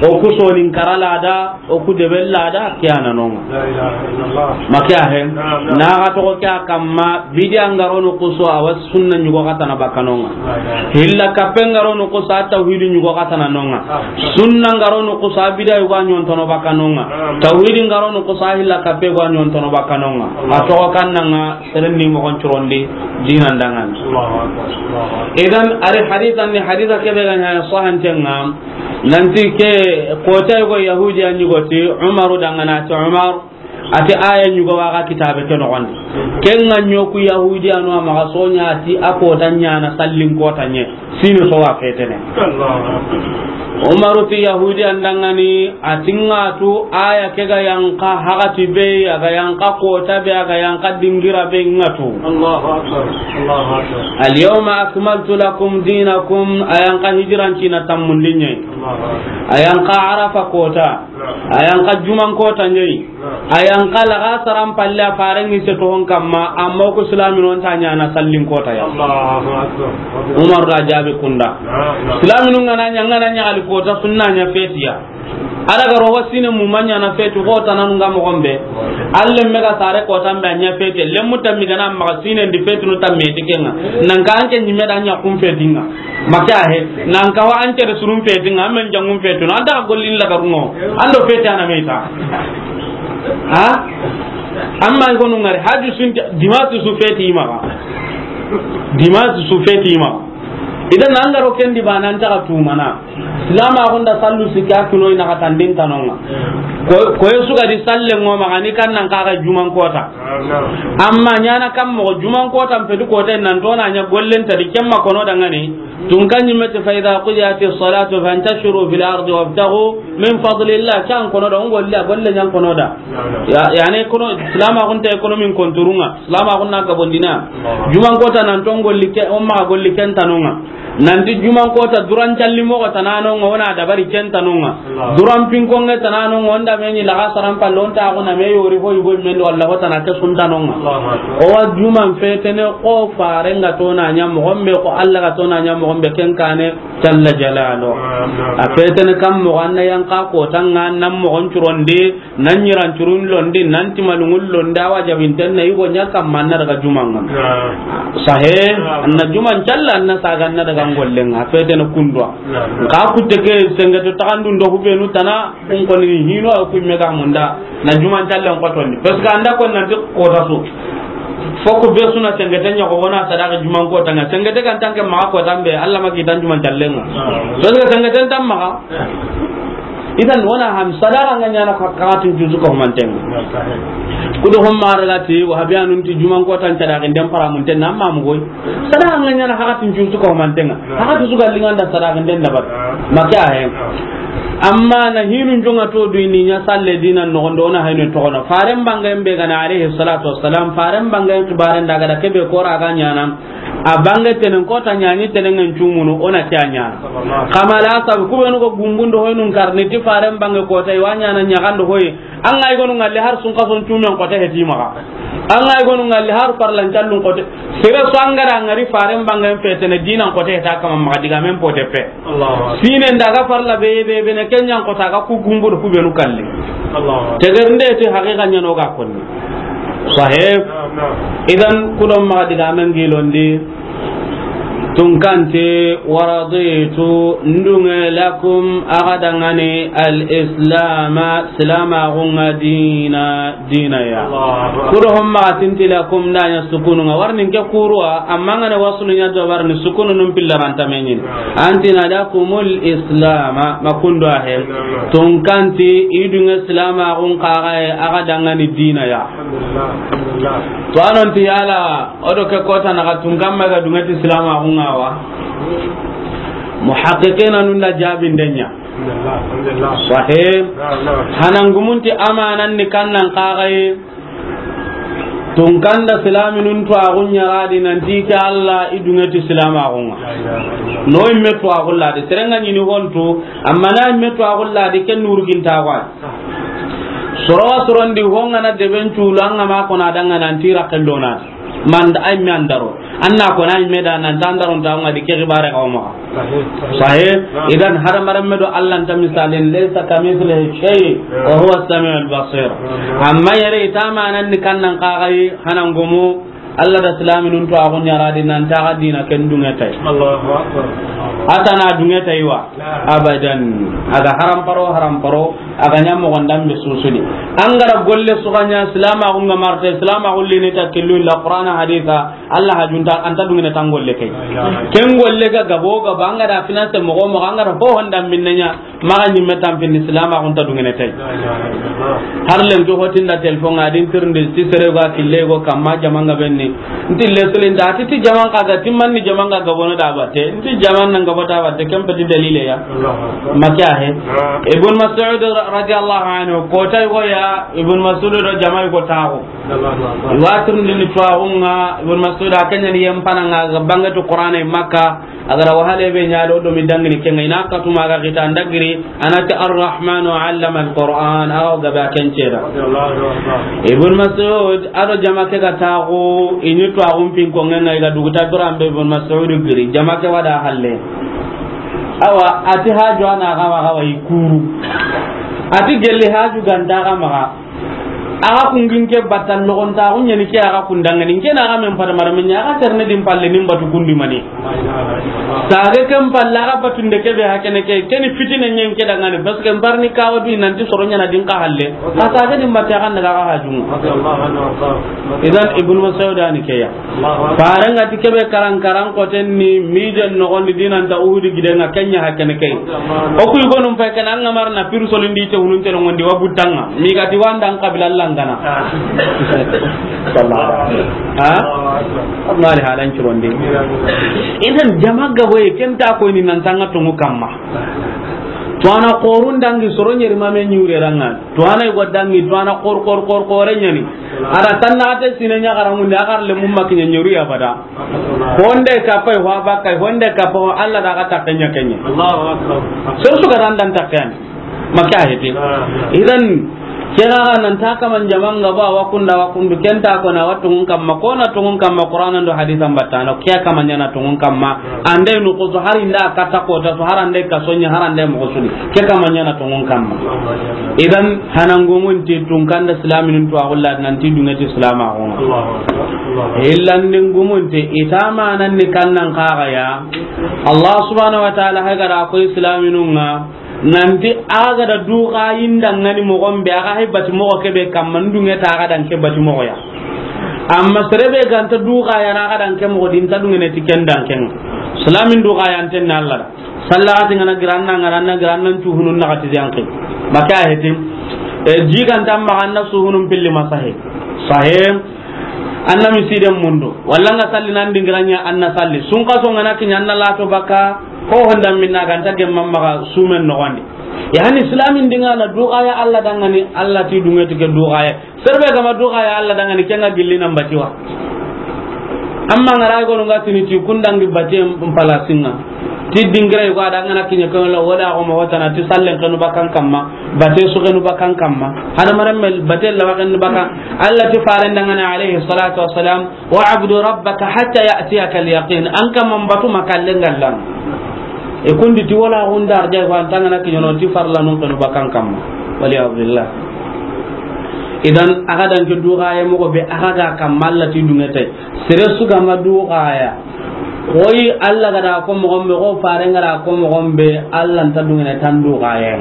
O ku sonin kara lada, o ku debe lada, ke ya na no ŋa. La ilaha illallah. Ma ke ya he? Naam, naam. Na ga toxo ke ya kamma, bidiya nga ro no kuso, a wa sunna ɲugo xa tana bakka no ŋa. La ilaha. Hilla kappe nga ro no kuso, a tawhidi ɲugo xa tana no ŋa. Ah. Sunna nga ro no kuso, a bidiya yugo a ɲontono bakka no ŋa. Naam. Tawhidi nga ro no kuso, a hilla kappe yugo a ɲontono bakka no ŋa. Allah. A toxo kan na ŋa, seren ni moxon curondi, dinan dangan. Allahu akbar, Allahu akbar. Idan, ari haditha ni, haditha kebe ga ɲa sahanten ŋa, nanti ke kota yugo Yahudi a ɲugo ti Umaru dangana ti Umar, a ti aya ɲugo wa ga kitabe ke noxondi. Ken ŋa ɲo ku Yahudi anu a maxa soɲa ti a kota ɲaana sallin kota ɲe. Sini so wa fetene. Allahu akbar. Umaru ti Yahudi an dangani, a ti ŋa tu aya ke ga yanqa hagati be, a ga yanqa kota be, a ga yanqa dingira be ŋa tu. Allahu akbar. Allahu akbar. Al yawma akmaltu lakum dinakum, a yanqa hijran cina tammundi ɲe. Allahu akbar. A yanqa Arafa kota. Naam. A yanqa juman kota ɲe. Naam. A yanqa laga saran palle a faren ŋi se toxon kamma, amma ku silaminu nta ɲaana sallin kota ya. Allahu akbar. Umar da jabi kunda. Naam, naam. Silaminu nga na ɲa, nga na ɲa ali kota sunna ɲa fetiya. Ala ga rogo sine mu ma ɲaana feti ko tananu nga moxon be. Alle me ga sare kota mbe a ɲa feti. Lemu tammi ga na maxa sine ndi feti nu tamme ti ke ŋa. Nan ka anke ɲime da ɲa kun feti ŋa. Ma ke ya he, nan kawa an tere surun feti ŋa, an men jangun feti no, an ta gollin la garuno, an do feti ana me ta. Ha? Amma i gonu ngari, haju sun, dimanche su feti i maxa. Dimanche su feti i maxa. Idan an ga ro ken di ba nan ta tumana. Silama gunda sallu sika kuno ina ka tandin tanonga. Ko, ko yesu ga di salle ŋo maxa ni kan nan ka ga juman kota. Amma ɲaana kam moxo juman kota mpe du kota nan to na ɲa gollen ta di kemma kono dangani. Tun kan ɲi me ti, "Fa idha qudiyatis salatu fantashiru fil ardi wabtaghu min fadlillah." Kan kono da, ngolli a golle ɲan kono da. Ya, yani kono, silama kun ta économie konturunga. Silama kun na gabondina. Juman kota nan to ngolli ke, o maxa golli ken tanonga. Nanti juman kota duran calli moxo tananonga, o na dabari ken tanonga. Duran pinkonge tananonga, o nda me ɲi laga saran palle, o nta xo na me yori fo yugo men do, walla xo tana ke sun tanonga. O wa juman fetene, xo faren ga to na ɲa moxon be, xo Alla ga to na ɲa moxon be, ken kane jalla jalalu. A fetene kam moxo, an na yanqa kota ŋa, nan moxon curondi, nan ɲiran curun londi, nan timalungun londi, a wa jabinten na yugo ɲa kamma, an na daga juman ŋa. Sahe, an na juman calla, an na saga, an na daga ngollen ŋa, a fetene kundwa. Ka kutte ke sengete taxandun do hubenu tana, kun koni hino, a kun me ga munda, na juman callen kotondi. Parce que an da kon nanti kota su. Foko be suna sengete ɲa ko wona sadaka juman kota ŋa. Sengete kan tanke ma kota mbe, Alla ma kitan juman callen ŋa. Parce que sengete tan maxa. Idan wona ham sadaka nga ɲaana ka, ka tin juzu ko manten. Kudo hom ma daga ti wahabiyanun ti juman kota n sadaka den para mun ten amma mu goy. Sadaka nga ɲaana hakatin juutu ko mantenga. Hakati suga linganda sadaka den dabar. Maka he. Amma na hinu jonga to du ni ɲa salle dina no gondo na hayno to gono. Faren bangen be gana alayhi salatu wassalam. Faren bangen kibaren daga da kebe kora ga ɲaana. A bange tenen kota ɲani tenen ngan cumunu ona ke a ɲaana. Kamala sab kubenu ko gumbundo hoynun karni ti faren bange kota i wa ɲaana ɲagando hoy. An ga i gonu ngalli har sun kason cumen kota heti maxa. An ga i gonu ngalli har farlan callun kota. Sere so an gara ngari faren bangen fetene dinan kota heta kama maxa diga men pote pe. Sine ndaga farla be, be, be ne kenyan kota ga ku gumbu do ku benu kalli. Teger nde ti haqiqa ɲano ga konni. Sahib. Idan kudon maxa diga men gilondi. Tunkante, waraditu, ndunge, lakum, axa dangani, al-islama, silamaxunga, dina, dina ya. Kudo homma tinti lakum, ndanya sukununga. Warni nke kuruwa, amma ngane wasulu nya do warni sukunu num pilla ranta menyin. Antina lakumul islama, makundo ahe. Tunkanti, idunge silamaxun kaxaye, axa dangani, dina ya. To anonti yala, Odo ke kota na ka tunkan ma ga dungati silamaxunga wa. Muhaqqiqina nun da jabindenya. Sahih. Hanangumunti amanan ni kannan kaxaye. Tunkanda silaaminun tuwaaxu ɲa ra di nanti ke Alla i duŋe ti silaamaaxun ŋa. No i me tuwaaxu la di, sere ŋa ɲi ni hontu, amma na i me tuwaaxu la di, ke nurugintaaxu a yi. Soro wa sorondi, ho ŋa na deben cuulu, an ŋa ma ko na daŋa nanti rakken do na. Man da ay me an daro. An na ko na ay me da nan tan daro ta ŋa di ke xibaare ga o maxa. Sahih. Idan hadamaren me do Alla nta misalin, laysa kamithlihi shay wa huwa as-sami'ul basir. Amma yere i ta manan ni kannan kaxayi hanangumu, Alla da silaaminun tuwaaxu ɲa ra di nan ta xa diina ken duŋe tay. Allahu akbar. A ta na duŋe tay wa. Abadan. A ga haram paro, haram paro, a ga ɲa moxon danbe susuni. An ga ra golle su ga ɲa silaamaaxun ŋa marte, silaamaaxun li ni ta killu illa Qur'ana hadisa, Alla hajunta, an ta duŋene tan golle kay. Ken golle ga gabo gabo, an ga da finance moxo moxo, an ga da ho honda minne ɲa, maxa ɲi me tampindi silaamaaxun ta duŋene tay. Har lenki hotinda téléphone ŋa din tirindi ti sere ga kille go kamma jaman ga benni. Nti lesulin da ti, ti jaman xa ga timman ni jaman ga gabo no da batte. Nti jaman nan gabo ta batte, ken peti dalile ya. Makiya he. Ibn Mas'ud ra-, radiyallahu anhu, ko tay go ya, Ibn Mas'ud do jama go taxu. Wa tirindi ni tuwaaxun ŋa, Ibn Mas'ud a ken ɲa ni yem pana ŋa ga bangatu Qur'ana Makka. A ga ra wahale be ɲa do, do mi dangini ken ŋa, i na katuma ga xita ndagiri, a na ti, "Ar-Rahmanu allama al-Qur'an," a ga o gabe a ken ceda. Ibn Mas'ud a do jama ke ga taxu, i ni tuwaaxun pin ko ŋa ŋa, i ga duguta duran be Ibn Mas'ud giri, jama ke wa da halle. Awa, a ti haju a na ga wa ga wa i kuru. A ti gelli haju ga nta ga maxa. Axa kungin ke batta logontaxu ɲani ke axa kundangani, nke na axa men fata mara men ɲa, axa terne din palle nin batu kundi mani. Sage ken palle axa batunde ke be hakene ke, keni fitine ɲen ke dangani, parce que mbarni kawa du nanti soro ɲana din ka halle. Ka sage din batte axa ndaga axa hajunga. Idan Ibn Mas'ud ani ke ya. Farenga ti kebe karan karan koten ni mijen nogondi dinanta Uhudi gidenga kenya hakene kay. O kuy gonum fay kana anga marna piru solindi te hunun te nogondi wa butanga. Mi gati wanda an kabila langana. Ah. Sallallahu alaihi wasallam. Ha? Allahu akbar. Amma li halan curondi. Idan jama gaboye kenta ko ni nan tanga tungu kamma. To ana qorun dangi soro nyeri mame nyure ranga. To ana go dangi, to ana qor, qor, qor, qore nyani. Ada tanna ate sine nya garangunde, agar le mumma kinya nyuri abada. Honde ka pay ho abaka, honde ka pay ho Allah da ka takanya kenya. Allahu akbar. So su ga dan dan takyan. Maka hete. Ah, ah. Idan kira nan ta kaman jaman gaba wa kunda wa kundu kenta ko na watungun kamma, ko na tungun kamma Qur'an do hadisan batana, kiya kaman yana tungun kamma. Ande nukusu hari nda kata kota su, harande ka sonya, harande mo suni. Ke kama nyana tongon kamma. Idan hanangumun ti tunkanda silaminin to agulla nan ti dunga ti silama ko. Illandin gumun ti itama nan ni kannan kaga ya. Allah subhanahu wa ta'ala haga da ko silaminun nga. Nanti aga da duga yinda ngani mogon be, aga hay bati mogo kebe kamma ndunge ta aga dan ke bati mogo ya. Amma serebe ganta duga ya na aga dan ke mogo din ta dunge ne ti ken dan ken. Silamin duga ya anten na Allah da. Sallati ngana giranna, ngana giranna tuhunun na gati yanke. Maka hetim. E, jiganta ma anna suhunun pilli masahe. Sahe. Anna misiden mundu. Walla nga salli nan dingiranya anna salli. Sunka so ngana kinya anna lato baka. Ko honda minna ganta gemma maga sumen no wandi. Yani islamin dinga na duga ya Allah dangani, Allah ti dunga ti ke duga ya. Serbe gama duga ya Allah dangani kenga gilli nan batiwa. Amma ngara go nga tini ti kundangi bate mpalasinga. Ti dingira ko adangana kinya ko la wala ko mo watana ti sallen kanu bakan kamma. Bate su kanu bakan kamma. Hada maram mel bate la wakan bakan. Allah ti faren dangani alaihi salatu wassalam. "Wa'budu rabbaka hatta ya'tiyaka al-yaqin." An ka man batu makallen gallan. E kundi ti wala gundar jay ko antanga na kiɲono ti farla non kanu bakan kamma. Wali billah. Idan aga dan ke duga ya mo be aga ga kamalla ti dungete. Sere su ga ma duga ya. Koyi Allah ga da ko mo gombe, ko fare ngara ko mo gombe, Allah nta dungene tan duga ya.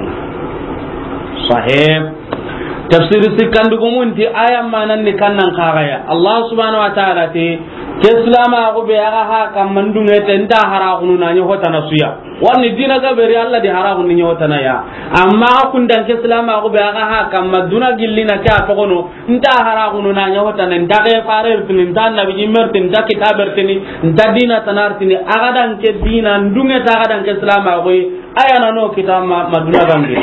Sahib. Tafsir sikkandugumun ti aya manan ni kannan kagaya. Allah subhanahu wa ta'ala ti, ke silama ko be aga ha kamma ndunge te nta hara kunu na nyo hotana suya. Warni dina ga beri Allah di hara kunu nyo hotana ya. Amma kundan ke silama ko be aga ha kamma duna gillina ke a togono nta hara kunu na nyo hotana nta ke farer tini nta nabi jimer tini nta kitaber tini nta dina tanar tini aga dan ke dina ndunge ta aga dan ke silama ko aya na no kitama maduna gambe.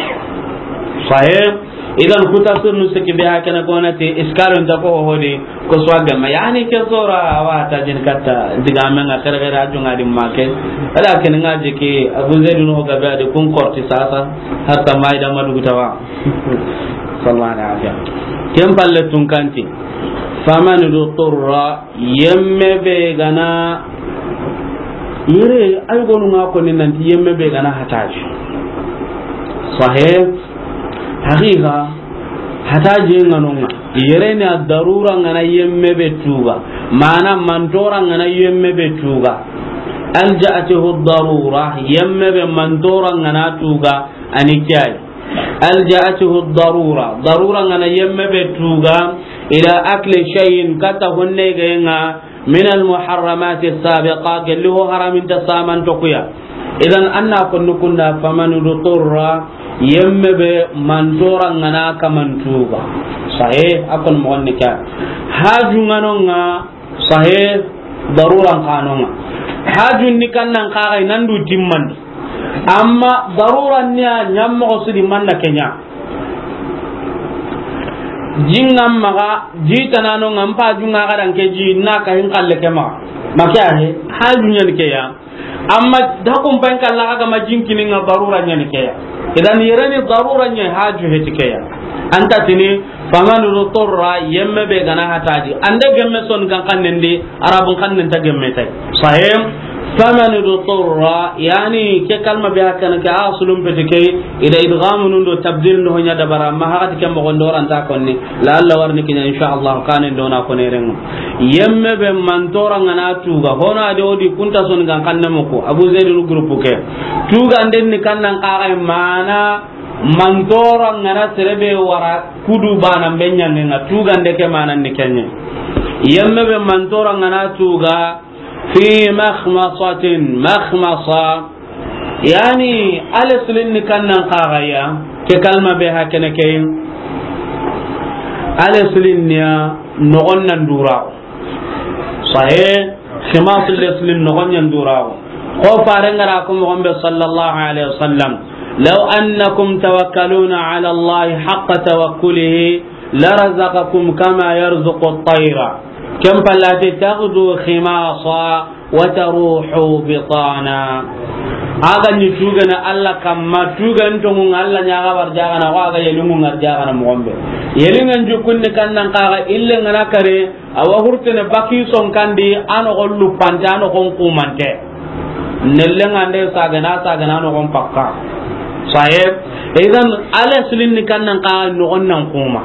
Sahib. Idan kuta sunnu siki be hakana ko na te iskalun ta ko hodi ko swaga ma yani ke sora wa ta jin katta diga men ga kare kare aju ngadi make. Ala ken ngaji ki Abu Zaid no ga be adi kun korti sasa hatta mai da madu gutawa. Sallallahu alaihi wasallam. Ken palle tun kanti. Faman turra, yemme be gana, yere ay gonu nga ko ni nanti yemme be gana hataji. Sahih. Haqiqa, hataji nganonga. Yere ni ad-darura ngana yemme be tuga. Mana mantora ngana yemme be tuga. Alja'atuhu ad-darura, yemme be mantora ngana tuga, ani kiyai. Alja'atuhu ad-darura. Darura ngana yemme be tuga ila akli shay'in, kata honne ga nga, min al-muharramati as-sabiqa, gelli ho haramin ta saman to kuya. Idan anna ko nukunda faman turra, yemme be mantora ngana kaman tuga. Sahih, akon mo ni ka. Haju nganonga, sahih, daruran kanonga. Haju ni kannan kaga nandu timmandi. Amma daruran niya nyammo sudi manda kenya. Jinga maga, ji tanano ngampa junga gadan ke ji na ka hin kalle ke ma. Makya he, haju nyan ke ya. Amma da kun pan kalla ga ma jinkini nga darura nyan ke ya. Idan yereni darura nyan haju he ti ke ya. Anta tini, faman turra, yemme be gana hataji. Ande gemme son kan kannen di, arabun kannen ta gemme tai. Sahih. Faman turra, yani ke kalma be hakana ke asulun pete ke, ida idgham nun do tabdil ndo nya dabara, ma hakati ke mo gondoran ta konni. La Allah warni kinya insha Allah kanen dona ko ne rengo. Yemme be mantora ngana tuga, hona de odi kunta son kan kanne mo ko. Abu Zaid groupe ke. Tuga nden ni kannan kaga mana mantora ngana serebe wara kudu bana benya nga tuga nde ke mana ni kenye. Yemme be mantora ngana tuga fi makhmasatin, makhmasa. Yani, ale sulin ni kannan kaga ya, ke kalma be hakene ke. Ale sulin niya, nogon nan dura. Sahih, khimasul le sulin nogon yan dura. Ko fare ngara ko mo gombe sallallahu alaihi wasallam. Law annakum tawakkaluna ala Allah haqqa tawakkulihi, larazaqakum kama yarzuqu at-tayra. Kem palate taghdu khimasa wa taruhu bitana. Aga ni tugana Allah kamma, tugan tongu Allah nyaga barjagana, wa aga yelungu ngarjagana mo gombe. Yelingan jukunni kannan kaga ille ngana kare, awa hurtene baki son kandi, ano gollu pante, ano kon kumante. Nelle ngande sagana, sagana no kon pakka. Sahib, idan ale sulin ni kannan ka no gon nan kuma.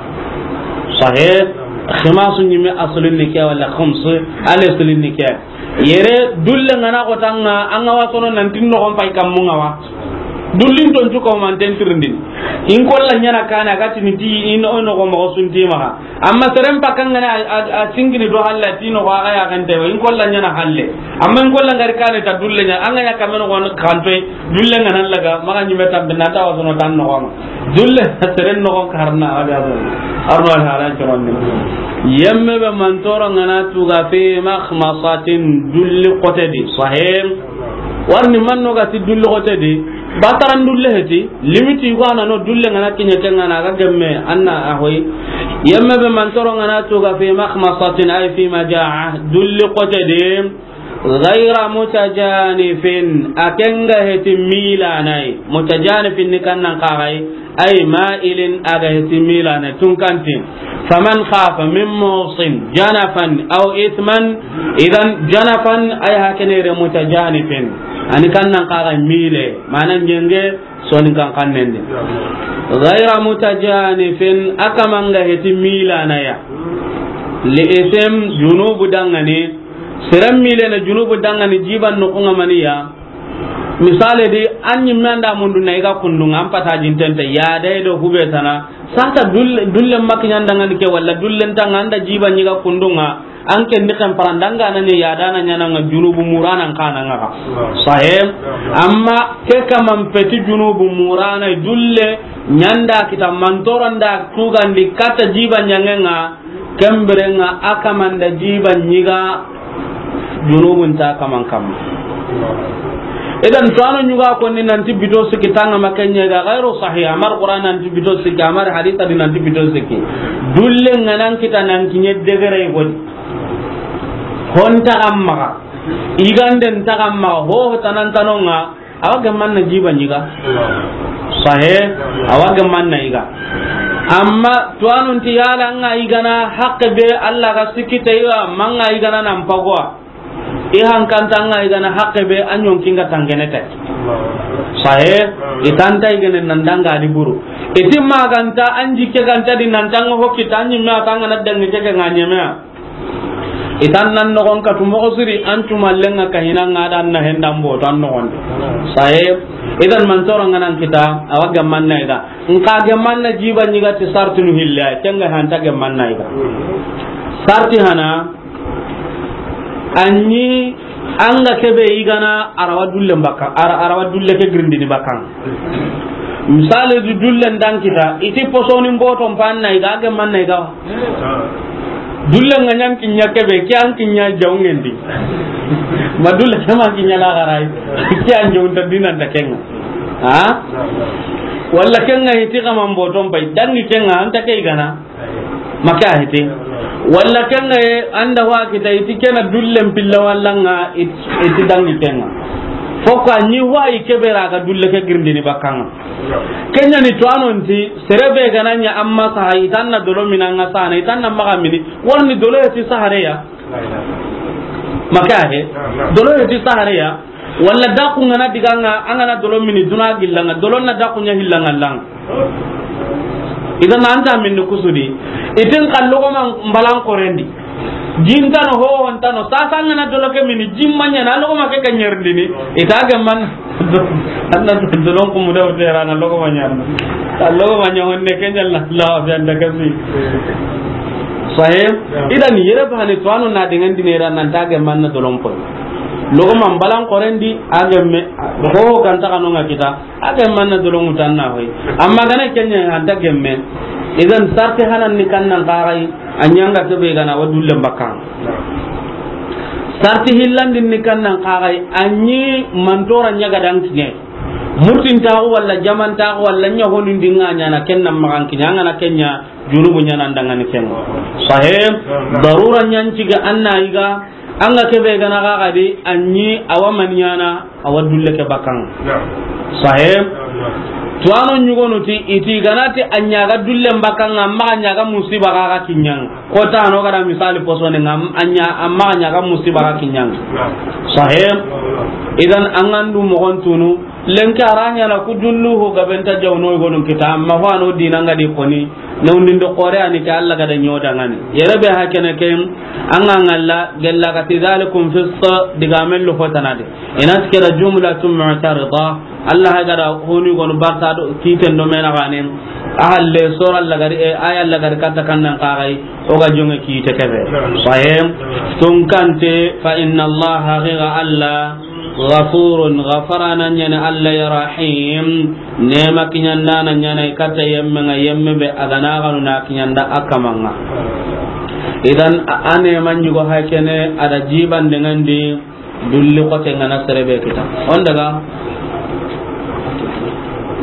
Sahib, khimasu ni me asulin ni ke wala khums, ale sulin ni ke. Yere dulle ngana ko tanga, anga wasono nan tin no kon pay kam mu ngawa. Dullin ton cuko man ten tirindin. In kolla nyana kana gati ni ti in o no ko mo sunti ma. Amma seren pakangana a, a, a singini do halla tino ko aga ya gante wa in kolla nyana halle. Amma in kolla ngari kane ta dulle nya anga ya kameno ko kanto dulle ngana laga maga nyime tambe na ta wasono tan no ko. Dulle seren no ko karna aga do. Arno al halan coron ni. Yemme be mantoro ngana tuga fi makhmasatin dulle kotedi. Sahim. Warni manno ga ti dulle kotedi. Bataran dulle heti. Limiti yugo a na no dulle ngana kiɲe ke ngana ga gemme anna a hoyi. Yemme be mantoro ngana tuga fi makhmasatin ay fi majaa dulle kote de. Ghayra mutajanifin a kenga heti milanai. Mutajanifin ni kannan kagai ay mailin aga heti milanai tun kanti. Faman khafa min musin janafan aw ithman idan janafan ay hakene re mutajanifin ani kannan kagai mile manan jenge. Soni kan kannen di. Ghayra mutajanifin a kamanga heti milanaya. Li ism junubu dangani. Seren milene junubu dangani jiban nukunga maniya. Misale di an yimme anda mundu na iga kundunga an pata jintente ya dai do hube tana. Sata dulle, dulle makinya dangani ke wala dulle ntanga anda jiban yiga kundunga. An ken ni kan parandanga na ni yadana nyana nga junubu murana kana nga ka. Sahib. Amma ke kaman peti junubu murana dulle nyanda kita mantoranda tugandi kata jiba nyangenga kemberenga akamanda jiba nyiga junubun ta kaman kam. Idan, tuwaano ɲuga konni nanti bito sikki tanga ma ken ɲa ga gairu sahih, a ma ri Qur'an nanti bito sikki, a ma ri hadisa di nanti bito sikki. Dulle ŋa nan kita nan kiɲe degere godi. Hon ta ga maxa, yiganden ta ga maxa, ho ho tanan tano ŋa, a wa gemman na jiba ɲiga. Sahe, a wa gemman na yiga. Amma tuwaanun ti yala ŋa yigana haqqe be Allah ga sikki te yiga, ma ŋa yigana nan pagowa. I hankanta ŋa yigana haqqe be a ɲonki ŋa tangene te. Sahe, i tanta yigene nan danga di buru. I ti maganta an jikke ganta di nan tanga hokki ta ɲimme a tanga na dangi jeke ŋa ɲeme. I tan nan nogon katu moxo siri, an tumallen ŋa kahina ŋa da na hendan boto an nogon. Sahe, idan man toro ŋa nan kita, a wa gemman na yiga. Nka gemman na jiba ɲiga ti sartinu hille, ken ga hanta gemman na yiga. Sarti hana, anyi anga kebe yigana a ra wa dulle bakka, a ra, a ra wa dulle ke girindini bakka. Misali du dulle ndan kita, i ti posoni mboto mpanna yiga, a gemman na yiga. Dulle ŋa ɲan kiɲa kebe, ke an kiɲa jawngendi. Ma dulle ke ma kiɲa la garai. Ke an jawnta dinan da ken ŋa. Ha? Walla ken ŋa hiti kama mboto mpai, dangi ken ŋa, anta ke yigana. Ma ke a hiti. Walla ken ŋa ye, anda wa kita, i ti kena dullen pilla walla ŋa, i ti, i ti dangi ken ŋa. Fokka ni wa i kebe ra ga dulle ke girindini bakka ŋa. Ken ɲa ni tuwaano nti, sere be ga na ɲa amma saha, i tan na dolo mini ŋa sahana, i tan na maxa mini, warni dolo heti sahare ya. Ma ke a he. Dolo heti sahare ya. Walla daku ŋa na diga ŋa, an ga na dolo mini duna gilla ŋa, dolo na daku ɲa hilla ŋa la ŋa. Idan anta minni kusudi. I ti n xa logoman balan korendi. Jintano ho hontano, sasa ŋa na dolo ke mini, jimma ɲa na logoma ke ka ɲerindini. I ta gemman. Anna dolon kumu da wutera na logoma ɲa. A logoma ɲa honne ke ɲa la, la fi anda kasi. Sahe, idan yere bahane tuwaano na dengan dinera nan ta gemman na dolon poy. Logoman balan korendi, a gemme, ho ho ganta kano ŋa kita. A gemman na dolo ŋutan na hoy. Amma gana ken ɲa anta gemme. Idan sarti hanan ni kannan kagai, a ɲa anga kebe gana wa dullen bakka. Sarti hillandin ni kannan kagai, anyi mantora ɲa ga dan kiɲe. Murtin taxu walla jaman taxu walla ɲa honun dinga ɲa na ken nan maxa kiɲa, anga na ken ɲa junubu ɲa nan dangani ken. Sahe, darura ɲan ciga anna yiga, anga kebe gana ga gadi, anyi awa man ɲana, awa dulle ke bakka ŋa. Sahe. Tuwaano ɲugonu ti, i ti gana ti a ɲa ga dullen bakka ŋa, amma a ɲa ga musiba ga ga kiɲa ŋa. Ko ta no ga da misali posoni ŋa, a ɲa, amma a ɲa ga musiba ga kiɲa ŋa. Sahe. Idan an ga ndu moxon tunu, lenki a ra ɲa na ku dullu ho gabe nta jawno i gonun kita, amma ho ano dina ŋa di koni. Newndinde xoore a ni ke, Alla ga da ɲo dangani. Yere be hakene ke, an ga ŋalla gella ga ti, "Zalikum fisq," digamen lo fotana de. I na ti ke da jumlatun mu'tarida. Alla ha ga da honi gonu barta do kiiten do mena gane. A halle sora Alla ga ri, e, aya Alla ga ri katta kannan kagai, o ga jonge kiite kebe. Sahih. Tunkante, fa inna Allaha, haqiqa Alla, Ghafurun, gafaraana ɲaana Alla ya, Rahim, neema kiɲandaana ɲaana i katta yemme ŋa, yemme be a ga na ganu na kiɲanda a kaman ŋa. Idan, a, a neema ɲugo hakene, a da jibande ŋa ndi, dulli xote ŋa na sere be kita. On daga.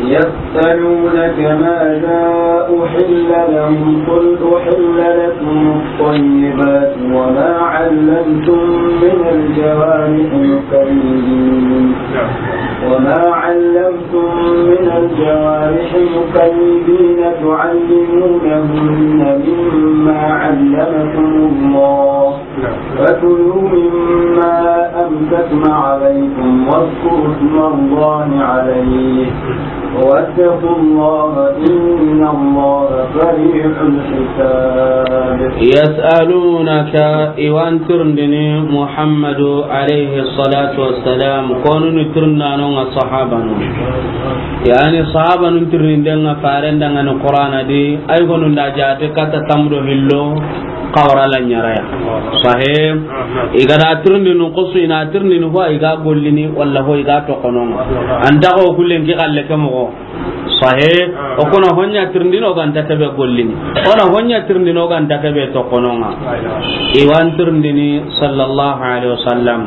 يسألونك ماذا أحل لهم، قل أحل لكم الطيبات وما علمتم من الجوارح مكلبين، وما علمتم من الجوارح مكلبين تعلمونهن مما علمكم الله، فكلوا مما أمسكن عليكم واذكروا اسم الله عليه، واتقوا الله، إن الله سريع الحساب. يسألونك، i wa an tirindini Muhammadu alayhi salatu wassalam, konu ni tirindano ŋa sahabanu. Yani sahabanu tirindinde ŋa farenda ŋa ni Qur'ana di, ay gonu nda jaate katta tamdo hillo, kawra la ɲaraya. Sahih. I ga da tirindini xusu, i na tirindini ho i ga gollini, walla ho i ga toxono ŋa. An ta xo kullen ki xalle ke moxo. Sahih. O kono ho ɲa tirindini o ga nta kebe gollini. O na ho ɲa tirindini o ga nta kebe toxono ŋa. I wa an tirindini sallallahu alayhi wasallam.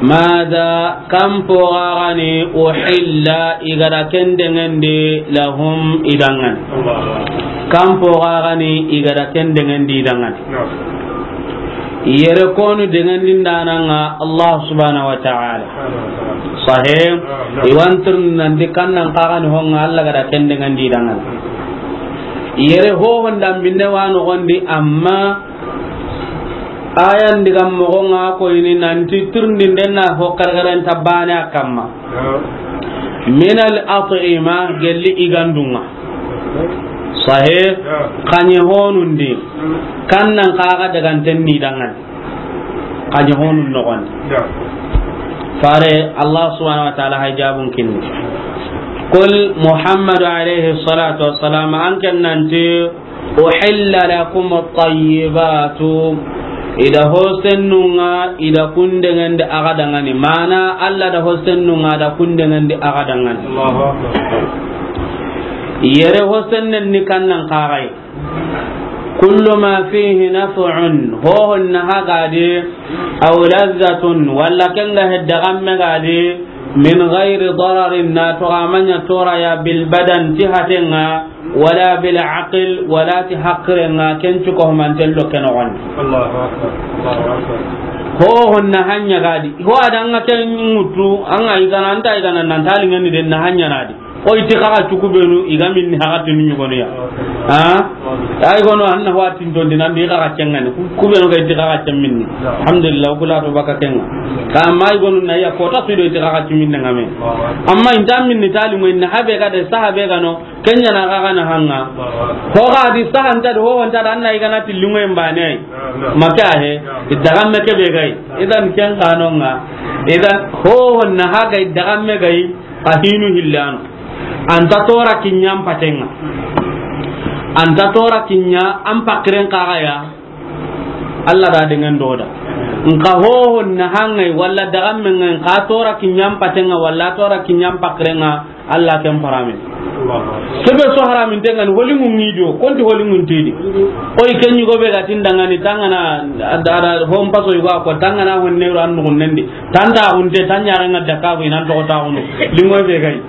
Mada, kan po ga ga ni, uhilla, i ga da ken dengendi, lahum, i danŋa ni. Kan po ga ga ni, i ga da ken dengendi, i danŋa ni. Yere konu dengendi ndananŋa Allah subhanahu wa ta'ala. Sahih. I wa n tirindini nanti kan nan xa ga ni honŋa Allah ga da ken dengendi, i danŋa ni. Yere ho honda minne wa noxondi, amma ayan diga moxo ŋa ko ini nanti tirindinde na ho kargaranta bane a kamma. Min al at'ima, gelli i gandunŋa. Sahih. Xaɲe honundi. Kan nan xa ga daganten ni danŋa ni. Xaɲe honun noxondi. Fare Allah subhanahu wa ta'ala hay jabun kinni. Qul, Muhammadu alayhi salatu wassalam, an ken nanti, uhilla lakum at-tayyibatu. I da hosennunŋa, i da kun dengendi a ga danŋa ni. Mana Allah da hosennunŋa, a da kun dengendi a ga danŋa ni. Allahu akbar. Yere hosennen ni kan nan xa ga yi. Kullu ma fihi naf'un, hohon na ha ga di, aw lazzatun, walla ken ga hedda gamme ga di, min ghairi dararin, na toxo a ma ɲa toraya, bil badan, ti hatenŋa, wala bil aql, wala ti haqirenŋa, ken cu ko manten lo ken noxondi. Allahu akbar. Allahu akbar. Hohon na ha ɲa ga di, ho a danŋa ken ŋutu, an ga i gana, an ta i gana nan ta liŋeni den na ha ɲa na di. O i ti xa ga cu kubenu, i ga minni haxatinu ɲugonu ya. Ha? Ay gono, an na wa tintondi nan di xa ga cengani. Ku-, kubenu ga i ti xa ga cen minni. Alhamdulillah, kula to baka kenŋa. Ka amma ay gonu na ya kota su do i ti xa ga cen minni ŋa me. Amma i nta minni tali mo inna habe ga de sahabe ga no, ken ɲa na xa ga na hanŋa. Ho ga di saha nta do, ho nta da, an na i gana ti linŋo en bane ay. Maka he, i daga me ke be ga yi. Idan ken xa no ŋa. Idan ho na ha ga i daga me ga yi. A hinu hillano. An ta tora kiɲa an patenŋa. An ta tora kiɲa an pakiren xa ga ya. Allah da dengen do da. Nka hoho na hanŋa yi walla daga menŋa yi, nka tora kiɲa an patenŋa walla tora kiɲa an pakirenŋa, Allah ken paramin. Kebe so haramin tenŋa ni, holiŋun ŋi do, konti holiŋun tedi. Oy, ken ɲugo be ga tin danŋa ni, tanŋana, ada, ada, hon paso yugo ko, tanŋana hon nero an nugun nendi. Tanta hunte, tanya renga dakabu inan to ta hunu. Linŋo be ga yi.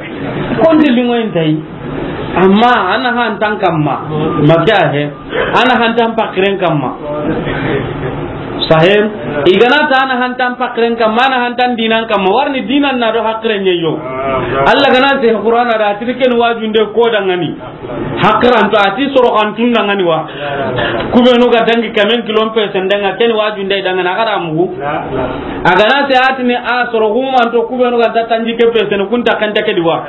Konti linŋo inta yi. Amma an na han tan kamma. Maka he. An na han tan pakiren kamma. Sahih. I gana ta an na han tan pakiren kamma, an na han tan dinan kamma. Warni dinan na do hakiren ɲa yo. Allah gana se Qur'ana da, tirken wajunde ko danŋa ni. Hakiranto a ti soro xantun danŋa ni wa. Kubenu ga dangi kamen kilon pe sen danŋa, ken wajunde danŋa na, a ga da mugu. A gana se a ti ni a soro humanto kubenu ga ta tanji ke pe sen kun ta kanta ke di wa.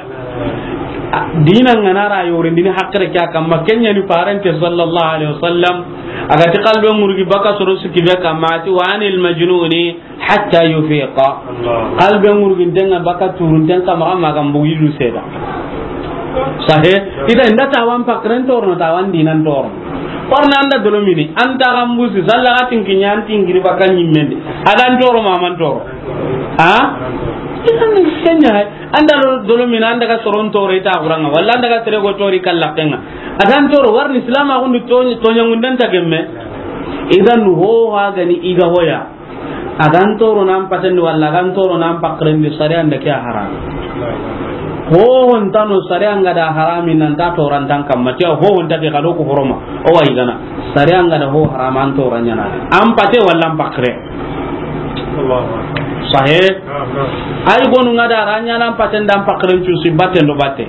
A, dinan ŋa na ra yorindini hakire ke a kamma, ken ɲa ni parente sallallahu alaihi wasallam. A ga ti kalbe ŋurgi baka soro siki be kamma, a ti, "Wa anil majnuni hatta yufiqa." Allah. Kalbe ŋurginten ŋa baka turunten kamma, amma ga mbugi du seda. Sahe, ida inda tawan pakiren torono, tawan dinan torono. Warna an da dolo mini, an ta ga mbusi, salla ga tinki ɲa, an tinkiri baka ɲimmendi. A ga n toro ma, a ma n toro. Ha? Idan ken ɲa. An da dolo mini, an daga soron toro i ta xuranga, walla an daga sere go tori kalla kenga. A ta n toro, warni Islam a gundu to, to ɲangunden ta gemme. Idan ho ha gani i ga hoya. A ga n toro nan patendi walla a ga n toro nan pakirendi, sariya nda ke a haram. Ho ho ntano sariya nga da harami nan ta toran tan kamma, tiya ho ho nta ke kado ko horoma. O wa i gana. Sariya nga da ho harama an toran ɲana. An pate walla an pakire. Sahe. Ay gonu nga da ranya nan paten dan pakiren cu si baten do bate.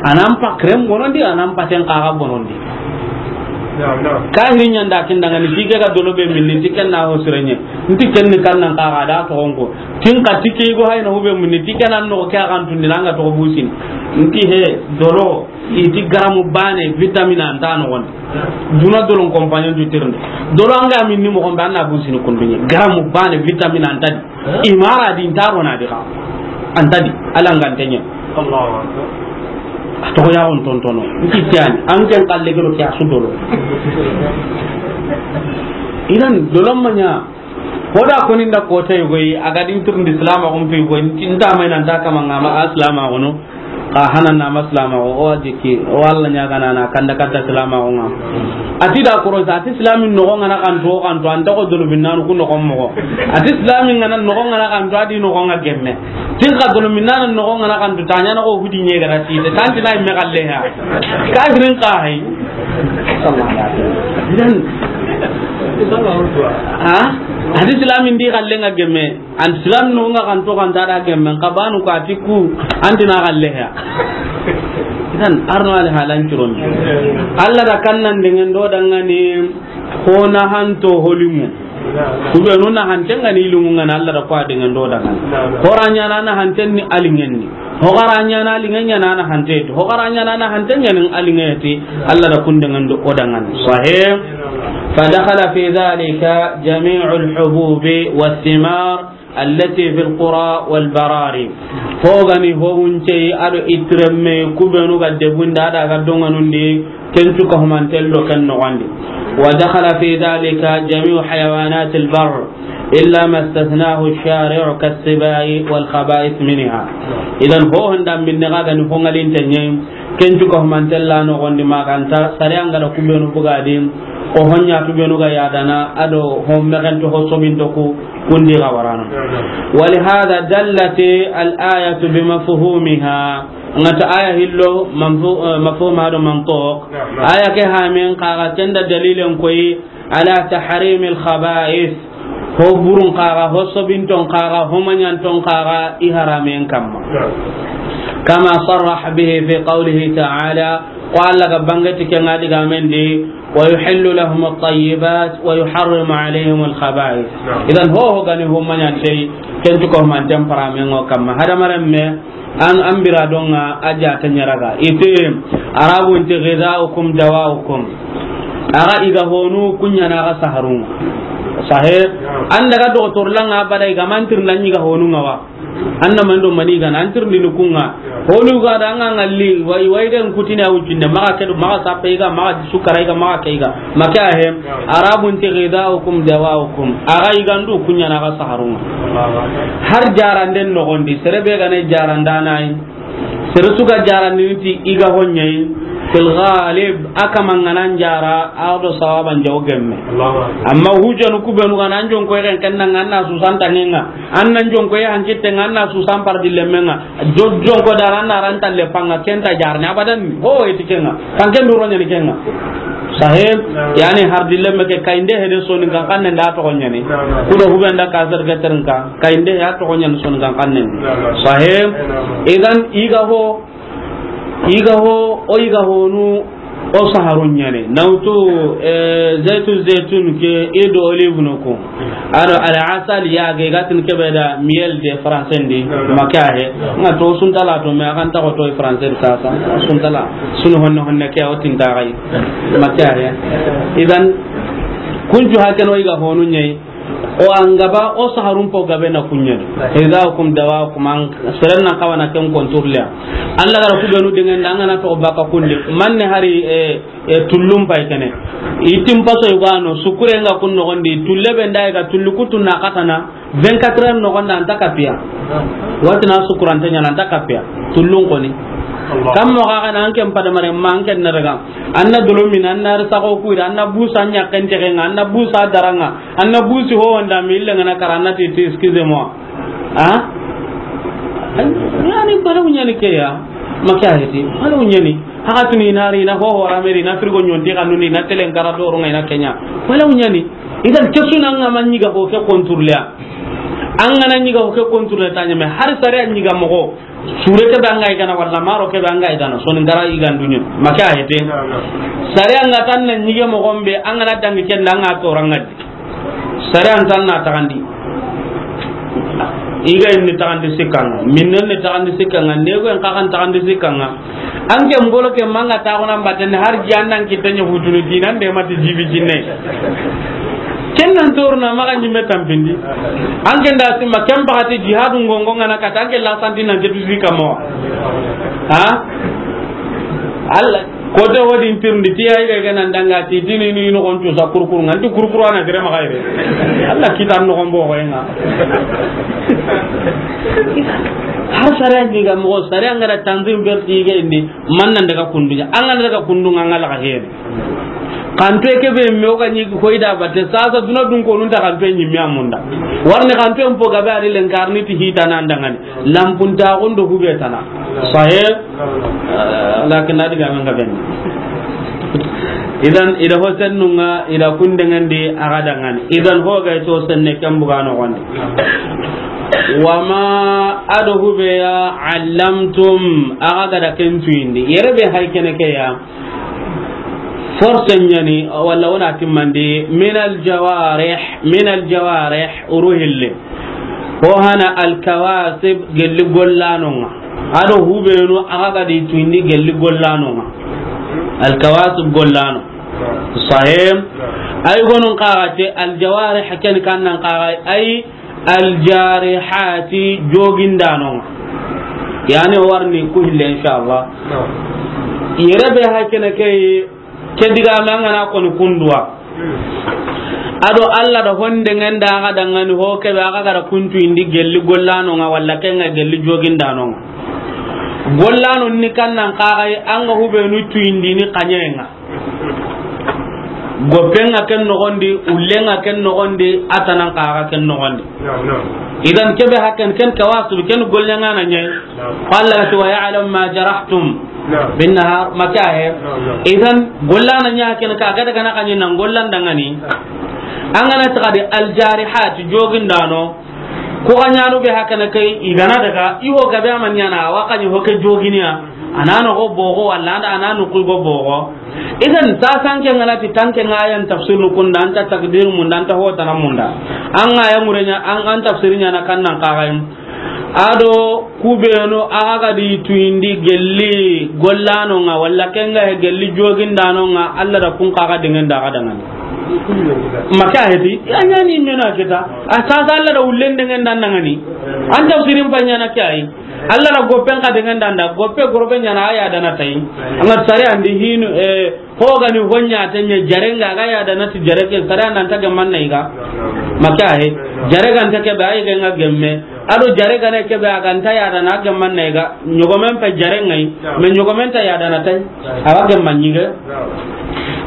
Anan pakiren bonondi, anan paten kaga bonondi. Kahiri ɲanda kin dangani, tike ga dolo be minni, tiken na ho sirenye. Nti ken ni kannan kaga da to onko. Tin ka tike go hayna hube minni, tiken nan no ke akan tundi nanga to busin. Nti he dolo. Iti garamu bane vitamine anta no gon. Duna dolon compagnon du tirnde. Dolo anga min ni mo gombe anna busini kundunye. Garamu bane vitamine anta di. Imara di ntaro na di ka. Anta di. Ala ngantenye. Allahu akbar. A to ya on tontono. Nti tiani. An ken kalle gero ke asu dolo. Idan dolo manya. Hoda koni nda kota yugo yi, a ga din turndi Islam a gon fi yugo yi, nta mai nan ta kama ngama Islam a gono. Xa hana na ma silamaxu, o wa jikki, o wa Alla ɲaagana na kanda katta silamaxu ŋa. A ti da korosa, a ti silamin noxo ŋa na xanto, xanto, an ta xo dolominanu ku noxon moxo. A ti silamin ŋa na noxo ŋa na xanto, a di noxo ŋa gemme. Tin xa dolominanu noxo ŋa na xanto, ta ɲaana xo hudi ɲegara ti, ta tanti na yimme xalle ya. Kafirin xa hay. Idan. Ha? A ti silamin di xalle ŋa gemme. An silaminu ŋa xanto xanta da gemmen xa banu ko a ti ku antina xalle ya. Idan arno ali halan curon. Alla da kannan dengan do dangani ho na hanto ho limu. Ku be nu na hanten ga ni limu ŋa na Alla da ko a dengan do dangani. Ho ra ɲaana na hanten ni a liŋen ni. Ho ga ra ɲaana a liŋen ɲaana na hante ti. Ho ga ra ɲaana na hanten ɲaana a liŋen ti. Alla da kun dengan do o dangani. Sahih. فدخل في ذلك جميع الحبوب والثمار التي في القرى والبراري. Ho ga ni ho wunce a do itiremme ku be nu ga debunda da ga donganundi ken tu ka humantello ken noxondi. ودخل في ذلك جميع حيوانات البر إلا ما استثناه الشارع كالسباع والخبائث منها. Idan ho honda minne ga ga ni ho ŋalinte ɲe. Ken cu ka humantella noxondi ma ganta sariya nga da ku benu bugadi, o honya tu benu ga yadana, a do ho mexento ho sobinto ku kundi ga warana. ولهذا دلت الآية بمفهومها. Nga ta aya hillo manfu-, eh, mafhum a do mantuq. Aya ke hamen kaga tenda dalilen koyi على تحريم الخبائث. Ho burun kaga, ho sobinton kaga, ho manyanton kaga, i haramen kamma. كما صرح به في قوله تعالى, ko Alla ga bangati ke nga diga men di, ويحل لهم الطيبات ويحرم عليهم الخبائث. Idan ho ho gani ho manyante, ken tu ko manten paramen ngo kamma. Hadamaren me, An, an bira donga a jata ɲaraga. Ite, Arabu nte غذاؤكم دواؤكم. Aga iga honu kunya na aga saharun. Sahe, an daga doktor langa bada iga mantir nan iga honu nga wa. Anna mando mani ga nan tir ni kunga. Honu ga da nga ngalli, wai, wai den kutini a wujinde, maga kedu, maga sape iga, maga sukara iga, maga ke iga. Maka he, Arabu nte غذاؤكم دواؤكم. Aga igandu kunya na aga saharun. Har jaranden nogondi, sere be gane jarandana yi. Sere su ga jarandini ti iga honye yi. Fil ghalib, aka manganan jara, a do sawaban jaw gemme. Amma hujanu ku benu gana an jonko ken kenna nganna susan tangenga. An nan jonko ya hankitte nganna susan par di lemenga. Jo-, jonko dara na ran talle panga kenta jarne abadan. Ho eti kenga. Kan ken duro nyani kenga. Sahib, yani har dille meke kainde hede soni kan kan nda to nyani. Kudo hubenda ka zer geter nka kainde ya to nyani soni kan kan nda. Sahib, idan iga ho, iga ho, o iga ho nu, o saharun nyane. Nautu, eh, zaitu, zaitun ke, ido olive no ko. Aro al asal ya ge gatin kebe da miel de français ndi. Maka he. Nga to suntala to me akan ta ko to français sasa. Suntala. Sunu honne honne ke o tinta gai. Maka he. Idan kunju hakan o iga honu nyai. O angaba o saharun po gabe na kunyani. غذاؤكم دواؤكم, an serenna kawana ken konturliya. Alla gara ku benu dengan da ngana to baka kunde. Manne hari, eh, e, tullum pay kene. Itim paso yugano, sukure nga kun nogondi, tulle be nda ga tullu kutu na katana, vingt-quatre heures nogonda anta kapiya. Watina sukurante nyana anta kapiya. Tullun koni. Kam mo ga kana anke mpada mare ma anke naraga. Anna dolomin, anna risako kuira, anna busa nya kente kenga, anna busa daranga, anna busi ho wanda mi ille ngana karana ti, ti, excusez-moi. Ha? Yani balaw nyani ke ya. Maka heti. Balaw nyani. Haka tuni na ri na ho ho rameri na frigo nyonti kanuni na telen kara doro ngai na kenya. Balaw nyani. Idan kesuna nga manyiga ho ke contrôler. An gana nyiga ho ke contrôler tanya me har sare an nyiga mogo. Sure ke banga igana wala maro ke banga igana. Soni gara igan dunyo. Maka heti. Sare an ga tan na nyige mogo mbe an gana dangi ken da an ga toranga. Sare an tan na tagandi. Iga inni tagandi sikkanga, minnen ni tagandi sikkanga, nego en kakan tagandi sikkanga. Anke mbolo ke manga tagona mbaten har ji annan kitanya hutunu dinan de mati jibi jinne. Ken nan torna maga nyimme tampindi. Anke nda sima ken bagati jihadu ngongo ngana kata anke la santi nan jetu sikkamo. Ha? Allah. Ko te wodin tirndi ti ay ga gana ndanga ti tini ni no gontu sa kurkuru nganti kurkuru ana gere ma gaire. Allah kitan no gombo ko enga. Har sare ni ga mo sare an ga da tanzim berti ga indi man nan daga kundunya. An ga daga kundunga ngala ga hene. Kanto ke be me o ga ni ko ida batte sasa duna dun ko nun ta kanto ni mi amunda. Warne kanto en po ga be ari len karni ti hita nan dangani. Lampunta gondo hube tana. Sahih. Eh, lakin na diga men ga ben. Idan ida ho sennunga ida kundengandi aga dangani. Idan ho ga to senne kan buga no gonde. Wama ado hube ya allamtum aga gada ken tuyindi. Yere be hay kene ke ya. Force nyani wala wona timmandi minal jawarih, minal jawarih uruhille. Ho hana alkawasib gelli gollanonga. Ado hubenu aga gadi tuindi gelli gollanonga. Alkawasib gollano. Sahim. Ay gonun kaga te aljawarih ken kannan kaga ay aljarihati jogindanonga. Yani warni ku hille inshallah. Yere be hakene kay Ke diga me an gana koni kunduwa. Ado Allah da honde ngenda aga dangani ho kebe aga gara kuntu indi gelli gollano nga walla kenga gelli jogindano nga. Gollano ni kannan kaga an ga hubenu tu indi ni kanyenga. Gopenga ken nogondi, ullenga ken nogondi, atanan kaga ken nogondi. Idan kebe hakken ken kawasib ken gollanga na nyai. Qala wa ya'lam ma jarahtum. Naam. Bin nahar, maka he. Naam, naam. Idan, gollana nya ken ka gada kana kanye nan gollan dangani. An gana ta de al jarihat jogindano. Ko ganyano be hakana kai igana daga iho gabe amanyana wa kanye ho ke joginiya. Anano go bogo walla anda anano ku go bogo. Idan ta sanke ngana ti tanke ngayan tafsir nu kunda anta takdir munda anta ho tanamunda. An ngaya murenya an, an tafsirinya na kannan kagayin. Ado kubenu aga gadi tuyindi gelli gollano nga walla kenga he gelli jogindano nga Allah da kun kaga dengan da aga dangani. Maka heti ya nyani mena kita. Asasa Allah da ullen dengan dan dangani. An tafsirin panyana kai. Allah da gopen ka dengan dan da gope gorobe nyana aya dana tai. Anga sare andi hinu eh Ho gani honya tanye jarenga ga ya da nati jareke sara nan ta gamman na iga. Maka he. Jarega nta ke ba iga nga gemme. Ado jarega ne ke ba ga nta ya da na gamman na iga. Nyogomen pa jarenga yi. Me nyogomen ta ya da na tai. Awa gamman nyige.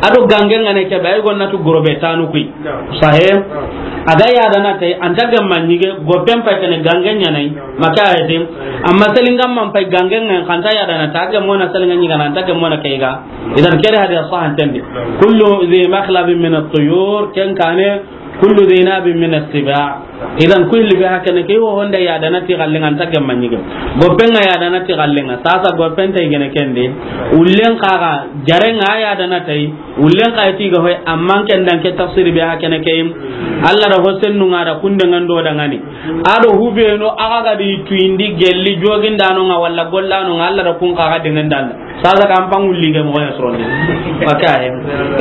Ado gange ngane ke ba igo natu gorobe tanu kui. Sahe. Aga ya da na tai anta gamman nyige gopen pa kene gange nyanai. Maka he. Amma selinga man pa gange ngan kanta ya da na ta gammo na selinga nyiga na ta gammo na kaiga. Idan kere hadi sahan tendi. Kullu dhi makhlabin min at-tuyur, ken kane kullu dhi nabin min as-siba. Idan kulli be hakene ke wo honda ya da na ti gallinga anta gamma nyige. Gopenga ya da na ti gallinga. Sasa gopenta igene kende. Ullen kaga jarenga ya da na tai. Ullen kay ti ga hoy amman ken dan ke tafsir be hakene ke. Allah da hosennu nga da kunde ngando dangani. Ado hubeno aga gadi tuyindi gelli jogindano nga walla gollano nga Allah da kun kaga dengan dan. Sasa kan pangulli ge mo ya sorondi. Maka he.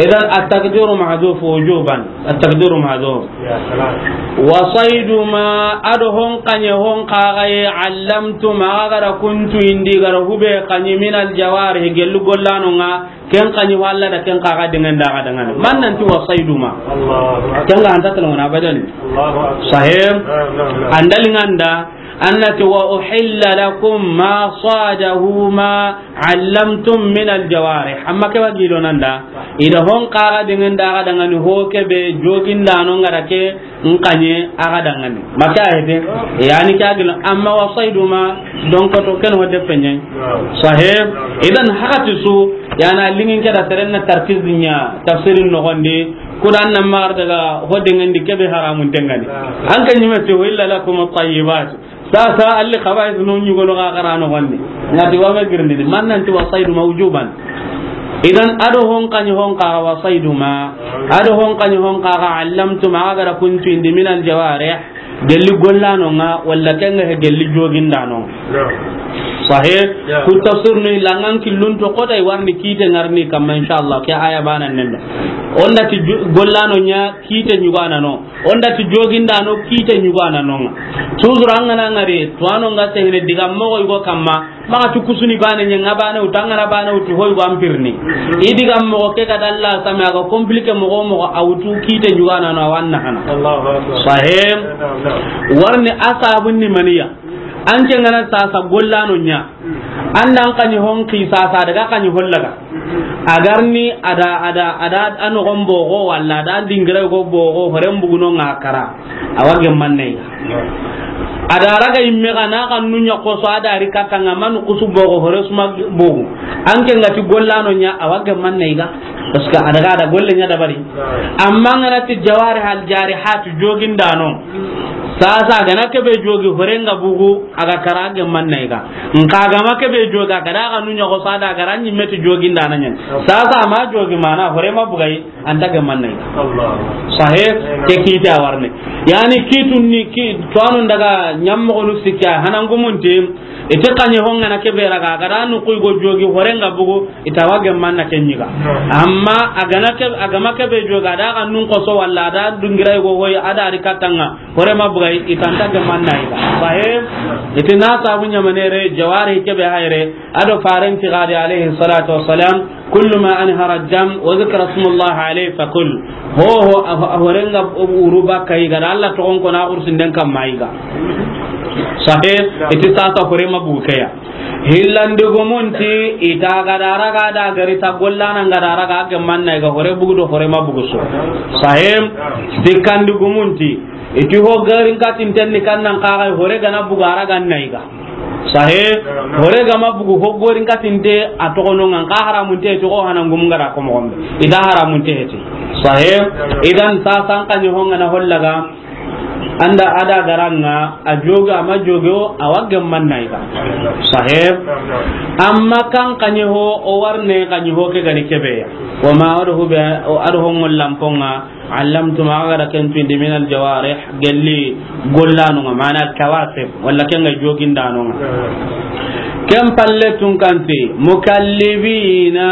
Idan at-taqdiru mahdhuf wujuban. At-taqdiru mahdhuf. Ya salam. Wa saydu ma ado hon kanye hon kagaye allamtum aga gara kuntu indi gara hube kanye min al-jawarih gellu gollano nga ken kanye walla da ken kaga dengan da ga dengan. Man nanti wa saydu ma. Allahu akbar. Ken ga anta talona abadan. Allahu akbar. Sahih. Naam, naam, naam. Andal nganda Annati wa uhilla lakum ma sadahu ma allamtum min aljawarih. Amma ke wa gilo nanda. Ida hon kaga dengan da ga dangani ho ke be jogindano ngara ke nkanye aga dangani. Maka hete. Yani ka gilo amma wa saydu ma don ko to ken ho de penyen. Sahih. Idan hakati su yana lingin ke da serenna tarkizinya tafsirin no gonde. Kudan nan mar daga ho dengan di ke be haramun tengani. An kan yima te wa illa lakum at-tayyibat. Sasa alli khaba'is no nyugo no ga garano wonni. Ngati wa me girndi man nanti wa saydu ma wujuban. Idan ado hon kany hon ka wa saydu ma. Ado hon kany hon ka ga allamtum aga da kuntu indi min aljawarih. Gelli gollano nga walla kenga he gelli jogindano. Sahih. Ku tafsir ni langan killun to kota i warni kite ngarni kamma inshallah ke aya bana nenda. Onda ti gollano nya kite nyugana no. Onda ti jogindano kite nyugana nonga. Tuzur angana ngari tuwano nga sehne diga mogo yugo kamma. Maxa tu kusuni bane ɲa, ŋa bane wutu, an ga na bane wutu, hoy go an pirni. I di ga moxo ke ga dalla same, a ga compliqué moxo moxo, a wutu kite ɲugana no, a wa na hana. Allahu Akbar. Sahih. Naam, naam. Warni a sabun ni maniya. An ke ŋa na sasa gollano ɲa. An da an kaɲi hon ki sasa daga kaɲi hollaga. A ga ri ni a da, a da, a da a noxon boxo, walla a da an dingira go boxo, horen buguno ŋa kara. A wa gemman na i ga. A da raga yimme ga na xannu ɲa xoso, a da ri katta ŋa, manu kusu boxo, hore suma bogu. An ke ŋa ti gollano ɲa, a wa gemman na i ga. Parce que a daga a da golle ɲa dabari. Amma an ga na ti jawarih al jarihat, jogindano. Sasa a ga na kebe jogi, hore ŋa bugu, a ga kara, a gemman na i ga. Nxa a ga ma kebe jogi, a ga da xannu ɲa xoso, a da ga ra ɲimme ti jogindana ɲa. Sasa a ma jogi, mana hore ma bugayi. An ta gemman na i ga. Allah. Sahih, ke kite a warni. Yani kitun ni ki, tuwanu daga ɲammoxonu sikki, hanangumunti, i ti kaɲe hon ga na kebe raga, a ga da nu kuy go jogi, hore ŋa bugu, i ta wa gemman na ke ɲi ga. Amma a ga na ke, a ga ma kebe jogi, a da xannun xoso, walla a da dingira go hoy, a da ri katta ŋa, hore ma bugayi, i ta nta gemman na i ga. Sahih, i ti na sabu ɲamane re, jawari kebe hayre, a do faren ti gadi alayhi salatu wassalam, كل ما أنهر الدم وذكر اسم الله عليه فكل. Ho ho, a, a hore ŋa wuru bakka i ga da Alla toxon ko na xursinden kamma i ga. Sahih, i ti sasa hore ma bugu ke ya. Hillandigumunti, i ta ga da raga da gari ta gollana ŋa da raga, a gemman na i ga, hore bugu do hore ma bugu su. Sahih, sikandigumunti, i ti ho garin katinten ni kannan kaga, hore ga na bugu a raga na i ga. Sahih, hore ga ma bugu, ho gorin katinte a toxono ŋa, nxa haramunte ti, xo hanangumun ga da ko moxon be. I da haramunte ti. Sahih, idan sasa an kaɲe hon ga na hollaga, an da a da ga ra ŋa, a jogi, a ma jogi, o a wa gemman na i ga. Sahih, amma kan kaɲe ho, o warne kaɲe ho ke ga ni kebe ya. Wa ma adhu bi, o adhu ngol lampon ŋa, علمتم, a ga da ken tuindi, من الجوارح, gelli gollanu ŋa, mana kawasib, walla ken ga jogindanu ŋa. Ken palle tun kanti, mukallibina,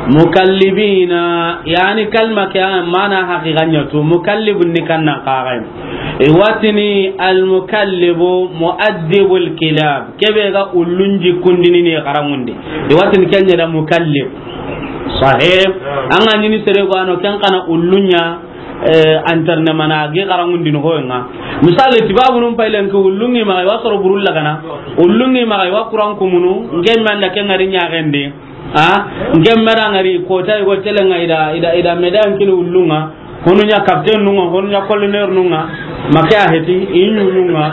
mukallibina, yani kalma ke, mana haqiqa ɲa tu, mukallibun ni kannan kaga. I wa tini al mukallibu muaddibul kilab, kebe ga ullun jikundini ni xaranŋundi. I wa tini ken ɲa da mukallib. Sahih. An ga ɲini sere go ano ken xa na ullun ɲa, eh, entraînement na gi xaranŋundini hoy ŋa. Misali, tibabunun paylen ke ullun ŋi maxa i wa soro burulla gana. Ullun ŋi maxa i wa kuran kumunu, nke manda ken ŋari ɲaxendi. A, nke mera ŋari kota i go tele ŋa i da, i da, i da medan kini ullun ŋa. Honu ɲa capitaine nun ŋa, honu ɲa colonel nun ŋa, ma ke a heti, i ɲuɲun ŋa,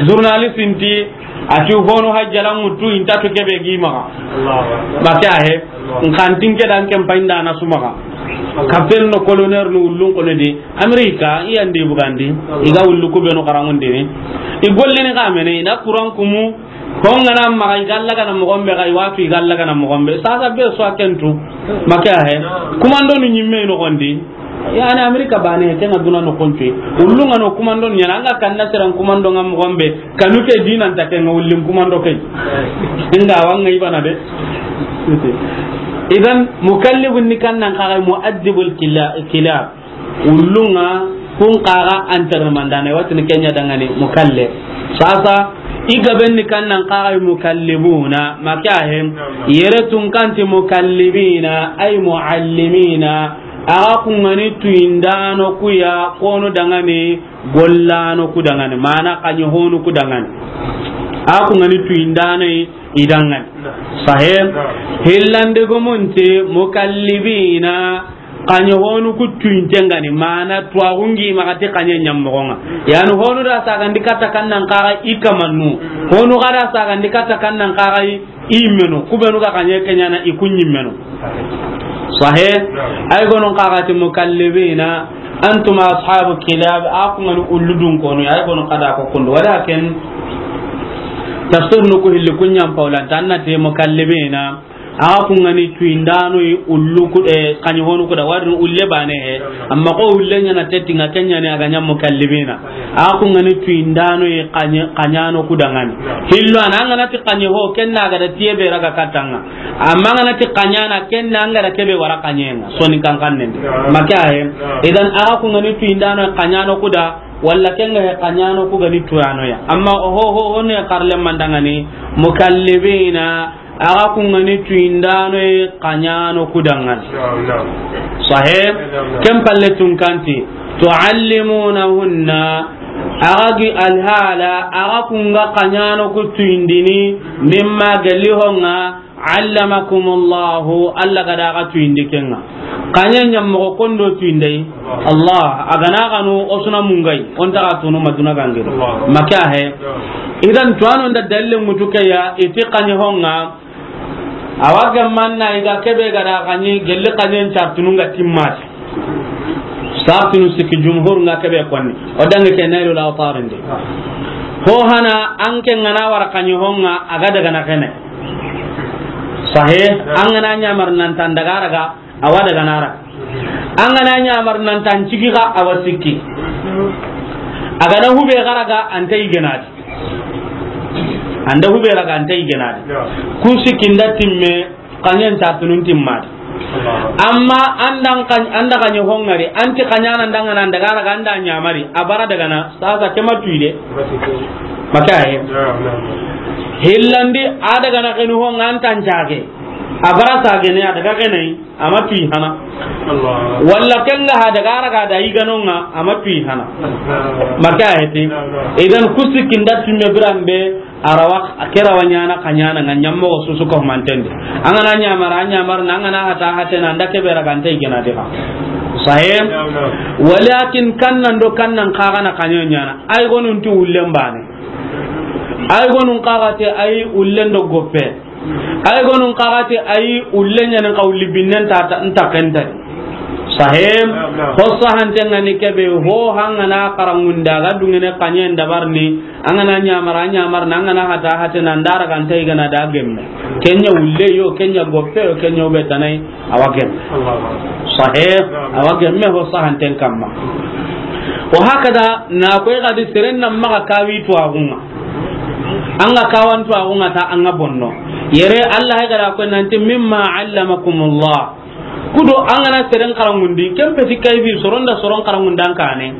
journaliste nti, a ti honu hajjala ŋutu, i nta tu kebe gi maxa. Allahu Akbar. Ma ke a he, nkantin ke dan ken payinda na su maxa. Capitaine no colonel no ullun kono di, Amerika, i yandi bugandi, i ga ullu ku benu xaranŋundini. I gollini xa mene, i na kuran kumu, Ho ŋa na maxa i ga lagana moxon be, xa i wa tu i ga lagana moxon be. Sasa be su a ken tu. Ma ke a he. Kumandonu ɲimme i noxondi. Yani Amerika bane, ke ŋa duna noxon tu. Ullun ŋa no kumandonu ɲaana, an ga kanna seran kumandon ŋa moxon be. Kanu ke dinan ta ke ŋa ullin kumando ke. Inga wa ŋa i bana de. Idan mukallibun ni kannan kaga muaddibul kila-, kilab. Ullun ŋa kun kaga entraînement dana, i wa tini ken ɲa dangani mukallib. Sasa, i gaben ni kannan kaga mukallibuna, ma ke a he, yere tun kanti mukallibina, ay muallimina, a ga kun ŋa ni tuyindano ku ya, konu dangani, gollano ku dangani, mana kaɲe honu ku dangani. A kun ŋa ni tuyindano i dangani. Sahih. Hillande gumunti mukallibina, kaɲe honu ku tuyinte ŋa ni, mana tuwaxu ŋi maxa ti kaɲe ɲammoxo ŋa. Yani honu da sagandi katta kannan kaga i kamannu. Honu ga da sagandi katta kannan kaga i, i menu. Ku benu ga kaɲe ke ɲaana i ku ɲimmenu. Sahih. Ay gonon kaga ti mukallibina, antum ashabu kilab, a kun ŋa ni ullu dun konu, ay gonon kada ko kundu. Walakin tafsir nu ku hilli kun ɲam paulanta, an na ti mukallibina. A ga kun ŋa ni tuyindano yi ullu ku, eh, kaɲe honu ku da, wari ulle bane he. Amma ko ulle ɲaana teti ŋa, ken ɲa ni a ga ɲa mukallibina. A ga kun ŋa ni tuyindano yi kaɲe, kaɲano ku dangani. Hillo an ga na ti kaɲe ho, ken na ga da tiye be raga katta ŋa. Amma an ga na ti kaɲana, ken na an ga da kebe wara kaɲe ŋa. Soni kankan nende. Ma ke a he. Idan a ga kun ŋa ni tuyindano yi kaɲano ku da, Walla ken ga he kaɲano ku ga ni tuyano ya. Amma oho, ho, ho ne karle mandangani, mukallibina, a ga ku ga ni tuyindano ye kaɲano ku dangani. Naam, naam. Sahih? Naam, naam. Ken palle tun kanti, tuallimunahunna, a ga gi alhala, a ga ku ga kaɲano ku tuyindini, mimma gelli ho ŋa, allamakumullahu, Allah ga da ga tuyindi ken ŋa. Kaɲe ɲa moxo kondo tuyindai. Allah, a ga na ga no o su na mungai, o nta ga tunu maduna gangere. Allah. Maka he. Idan tuwano nda dalile mutu ke ya, i ti kaɲe ho ŋa, a wa ga manna i ga kebe ga da kaɲe, gelli kaɲe nta tunu ŋa timmati. Sartinu sikki jumhur ŋa kebe konni. O dange ke Nailul Awtar ndi. Ho hana an ke ŋa na wara kaɲe ho ŋa a ga daga na kene. Sahih, an ga na ɲamar nan tan daga raga, a wa daga na raga. An ga na ɲamar nan tan cigi ga, a wa sikki. A ga na hube ga raga, an ta yi genadi. An da hube raga, an ta yi genadi. Ku sikki nda timme, kaɲen ta tunun timmadi. Amma an da kaɲ-, an da kaɲe ho ŋari, an ti kaɲana ndanga nan daga raga an da ɲamari, a bara daga na, sasa ke ma tuyi de. Maka he. Hillandi, a daga na kenu ho ŋa an tan cage. A bara sa gene, a daga gene, a ma tuyi hana. Walla ken ga ha daga raga da yi ga no ŋa, a ma tuyi hana. Maka he ti. Idan ku sikki nda timme biranbe, a rawa, a ke rawa ɲana kaɲana ŋa ɲa moxo su su ko manten di. An ga na ɲamara, a ɲamar na, an ga na hata, hate na, an da kebe raga an ta yi genadi ga. Sahih? Walakin kannan do kannan ka ga na kaɲe ɲana. Ay gonun ti ullen bane. Ay gonun ka ga te ay ullen do goppe. Ay gonun ka ga te ay ullen ɲanen ka ulli binnen ta, ta, nta kenta. Sahih? Ho sahanten ŋa ni kebe ho hanga na karangunda ga dungene kaɲen dabarni. An ga na ɲamara, a ɲamar na, an ga na hata, hate na, an da raga an ta yi gana da gemme. Ken ɲa ulle yo, ken ɲa goppe yo, ken ɲa ube tanai, a wa gemme. Sahih, a wa gemme ho sahanten kamma. Wa hakada, na koy ga di seren na maxa kawi tuwaxu ŋa. An ga kawan tuwaxu ŋa ta an ga bonno. Yere Allah ga da ko nanti mimma allamakumullah. Kudo an ga na seren karangundi, ken peti kayfi, soron da soron karangundan kane.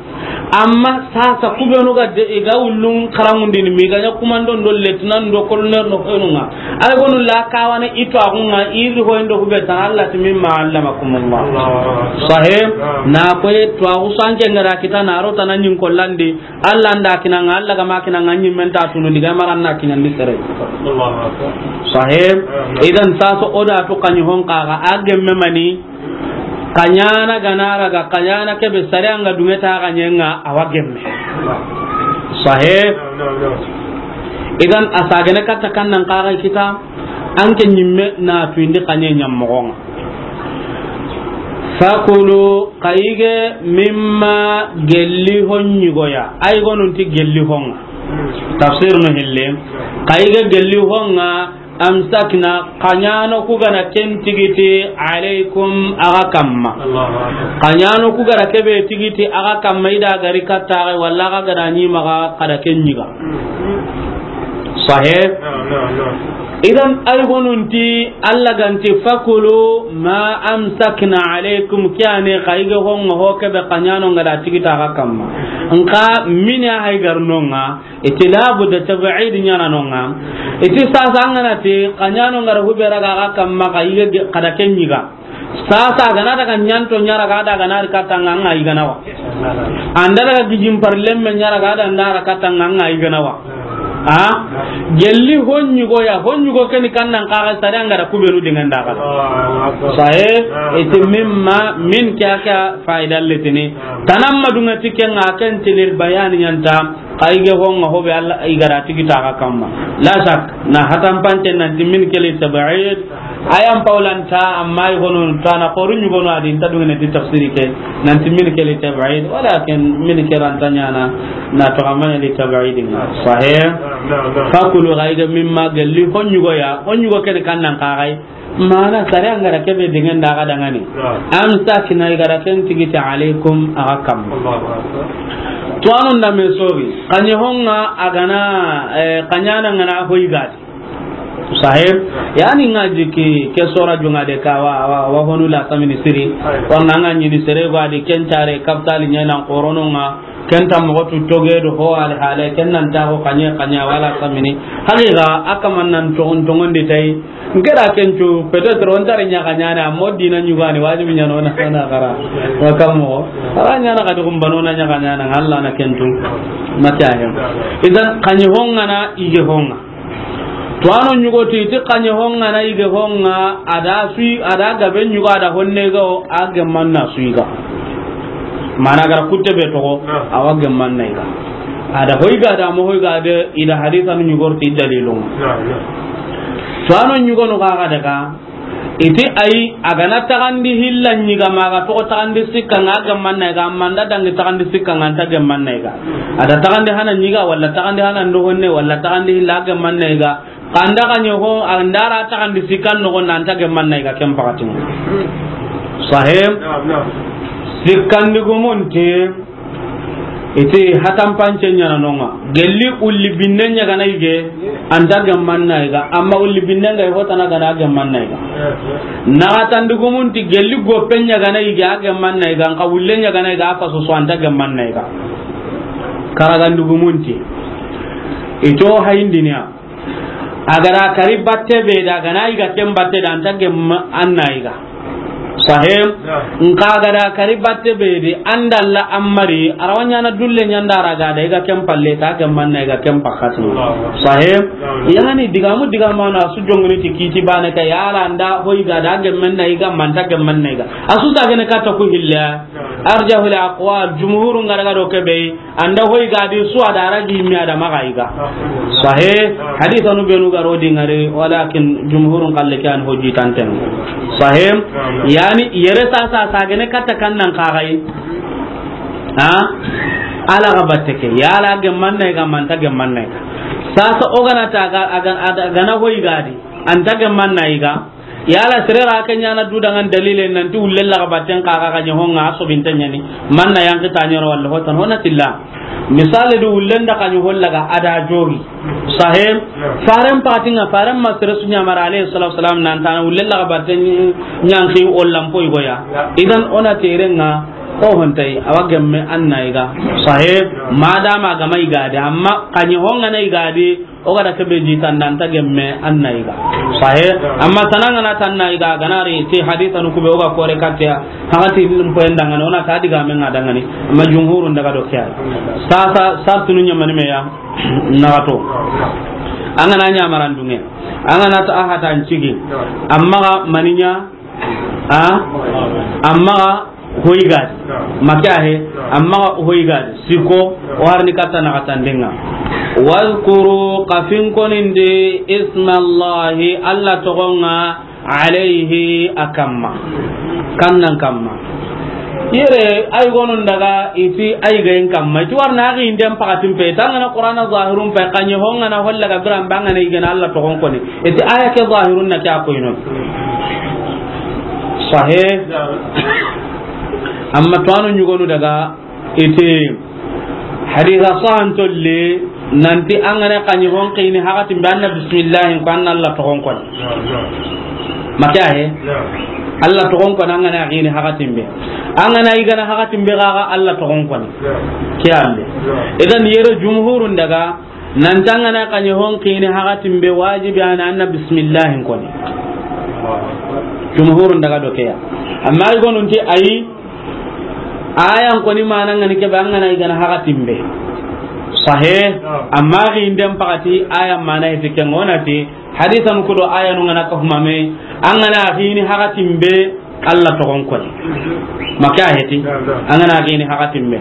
Amma sasa kubenu ga de, i ga ullun karangundini, mi ga ɲa kumandon do, lieutenant do, colonel do, hoynu ŋa. Ay gonu la kawane i tuwaxu ŋa, i ri hoyin do hube tan, Allah ti mimma allamakumullah. Sahih, na koy tuwaxu sanke ngara kita na ro tanan ɲin kollandi, Allah nda kinanga, Allah ga ma kinanga, ɲimmen ta tunu diga maran na kinandi sere. Allahu Akbar. Sahih. Amin. Idan saso o da to kaɲi hon kaga a gemme mani, kaɲana ganara ga, kaɲana kebe sare anga dunge ta ga ɲenga a wa gemme. Sahih. Amin, amin. Idan a sagene katta kannan kaga kita, anke ɲimme na tuindi kaɲe ɲammogonga. Fakulu, kayige, mimma, gelli hon ɲigoya. Ay gonunti gelli honga. Tafsir no hille. Kayige gelli honga, amsakna, kaɲano kugana ken tigiti, alaykum, aga kamma. Allahu Akbar. Kaɲano kugara kebe tigiti, aga kamma, ida gari katta, walla aga gada ɲimaga, kada ken ɲiga. Sahih? Naam, naam, naam. Idan, ay gonunti, Allah ganti, fakulu ma amsakna alaykum, kiyane, kayige honga, ho kebe kaɲano ngada tigita aga kamma. Nka, mini a hay garnonga, iti labu da tab'id ɲana nonga. Iti sasa angana ti, kaɲano ngara hubera ga aga kamma, kayige ge-, kada ken ɲiga. Sasa, a gana daga ɲanto ɲara ga daga nari katta nga, anga yigana wa. Anda daga gijin par lemme ɲara ga da ndara katta nga, anga yigana wa. A? Gelli hon ɲigo ya, hon ɲigo keni kannan kaga sare angara kubenu dengan daga. Sahe, iti mimma, min kya kya faida letini. Tanamma dunga tikenga ken tilil bayani ɲanta. Kayige honga hobe Allah igara tigita aga kamma. La shak, na hatan pante nanti min keli tab'id. Ayan paulanta amma igono tana qoru ɲugono adi nta dungene ti tafsiri ke. Nanti min keli tab'id. Walakin min keranta ɲana na to amana li tab'id. Sahih. Naam, naam. Fakulu kayige mimma gelli hon ɲugo ya. Hon ɲugo ken kannan kagai. Mana sare angara kebe dengan daga dangani. Naam. Amsakna igara ken tigiti alaykum aga kamma. Allahu Akbar. To anun da me sogi. Kaɲe honga agana, eh, kaɲana ngana hoy gadi. Sahib. Naam. Yani ngaji ki ke sora junga de ka wa, wa, wa honu la samini siri. Aywa. Warna nga ɲini sere gadi ken tare kaptali ɲana qorononga. Ken ta moxo tu toge do ho al hale, ken nan ta ko kanye kanya wala samini. Haqiqa, a kaman nan tongon, tongon di tay. N kera ken tu, peut-être o nta ri ɲa kanyana, amma o dina ɲugani, wajibi ɲa no na, na xara. Wa kammo. Ara ɲa na kadi kumbano na ɲa kanyana, Allah na ken tu. Mata ya. Idan, kanye honga na, ige honga. Tuwano ɲugo ti, ti kanye honga na ige honga, a da sui, a da gabe ɲugo, a da honne ga o, a gemman na sui ga. Mana gara kutte be togo, a wa gemman na iga. A da hoy ga da mo hoy ga de, i da hadisa nu ɲugor ti dalilun. Tuwano ɲugo no ga ga daga, iti ay, a gana tagandi hilla ɲiga ma ga togo tagandi sikka nga a gemman na iga, amma nda dangi tagandi sikka nga nta gemman na iga. A da tagandi hana ɲiga, wala tagandi hana ndo honne, wala tagandi hilla a gemman na iga. Kanda kanye ho, a ndara tagandi sikkan no gonna nta gemman na iga ken pakatin. Sahib. Sikkandi gumunti. Iti hatan pance ɲana nonga. Gelli ulli binne ɲa gana ige, anta gemman na iga. Amma ulli binne nga i hotana gana gemman na iga. Naxatandi gumunti gelli goppe ɲa gana ige, a gemman na iga. Nka ulle ɲa gana iga, a faso so anta gemman na iga. Karagandi gumunti. Ito hayindiniya. A gara kari batte be da, gana iga ken batte da, anta gemma anna iga. Sahib. Nka gara kari batte be di, andalla ammari, arawanya na dulle ɲanda raga da, iga ken palle ta, gemman na iga ken pakati. Sahib. Yani digamu, digamu na su jongni ti kiti bane ka yala anda ho iga da, gemmen na iga, manta gemmen na iga. Asu sa gene kata ku hilla. Arjahul aqwal, jumhurun gara ga do kebe. Anda hoy ga di su a da ragi mi a da maga iga. Sahih. Hadithanu benu garo di ngari, walakin jumhurun kalle ke an hoji tanten. Sahih. Yani yere sa sa sa gene katta kan nan kagai. Ha? Ala ga batte ke. Yala gemman na iga, manta gemman na iga. Sasa o gana ta ga, aga, aga, gana hoy ga di. Anta gemman na iga. Yala sere ra ke ɲana du dangan dalile nanti ulle la ga batten ka ga kanye honga so binta ɲani. Man na yanki ta ɲoro walla hotan hona tilla. Misale du ulle nda kanye holla ga a da jogi. Sahib. Faren patinga, faren ma sere su ɲamara alayhi salatu wasalam nan tana ulle la ga batten ɲanki ollan poy goya. Idan ona terenga o hontai a wa gemme anna iga. Sahib. Madama gama iga de, amma kanye honga na iga de. O ga da kebe ji tanda anta gemme anna iga. Sahih. Amma tananga na tanna iga, ganari ti hadithanu kube o ga kore katte ya. Hagati lim poyen dangani, ona ta diga men nga dangani. Amma jumhurun daga do kiya. Sasa sartunu ɲamani me ya. Nagato. Angana ɲamarandunge. Angana ta ahata ncigi. Amma ga maninya. A? Amma ga hoy gadi. Maka he. Amma ga hoy gadi. Siko, o harni katta na katandenga. Wazkuru, kafin konindi, ismallahi, Allah togonga, alayhi, akamma. Kannan kamma. Yere, ay gonun daga, iti ay gayin kamma. Iti warna agi inden pakatin pe. Tangana Qur'ana zahirun pe. Kanye hongana holla ga biran bangana igana Allah togon koni. Iti aya ke zahirun na ke a koyno. Sahih. Amma to anu ɲugonu daga iti hadisa sahan tolli nanti angana kanye hon kini hakatin be anna bismillah ko anna Allah togon koni. Maka he? Allah togon koni angana kini hakatin be. Angana igana hakatin be ga Allah togon koni. Kiyalle. Idan yere jumhurun daga Nan tangana kanye hon kini hakatin be wajibi ana anna bismillah koni. Jumhurun daga do keya. Amma ay gonun ti ayi, ayan koni mana ngani kebe angana igana hakatin be. Sahih. Amma gi indem pakati ayan mana itiken onati, hadisan kudo ayanu ngana ka humame, angana hini hakatin be, Allah togon koni. Maka heti. An gana gini hakatin be.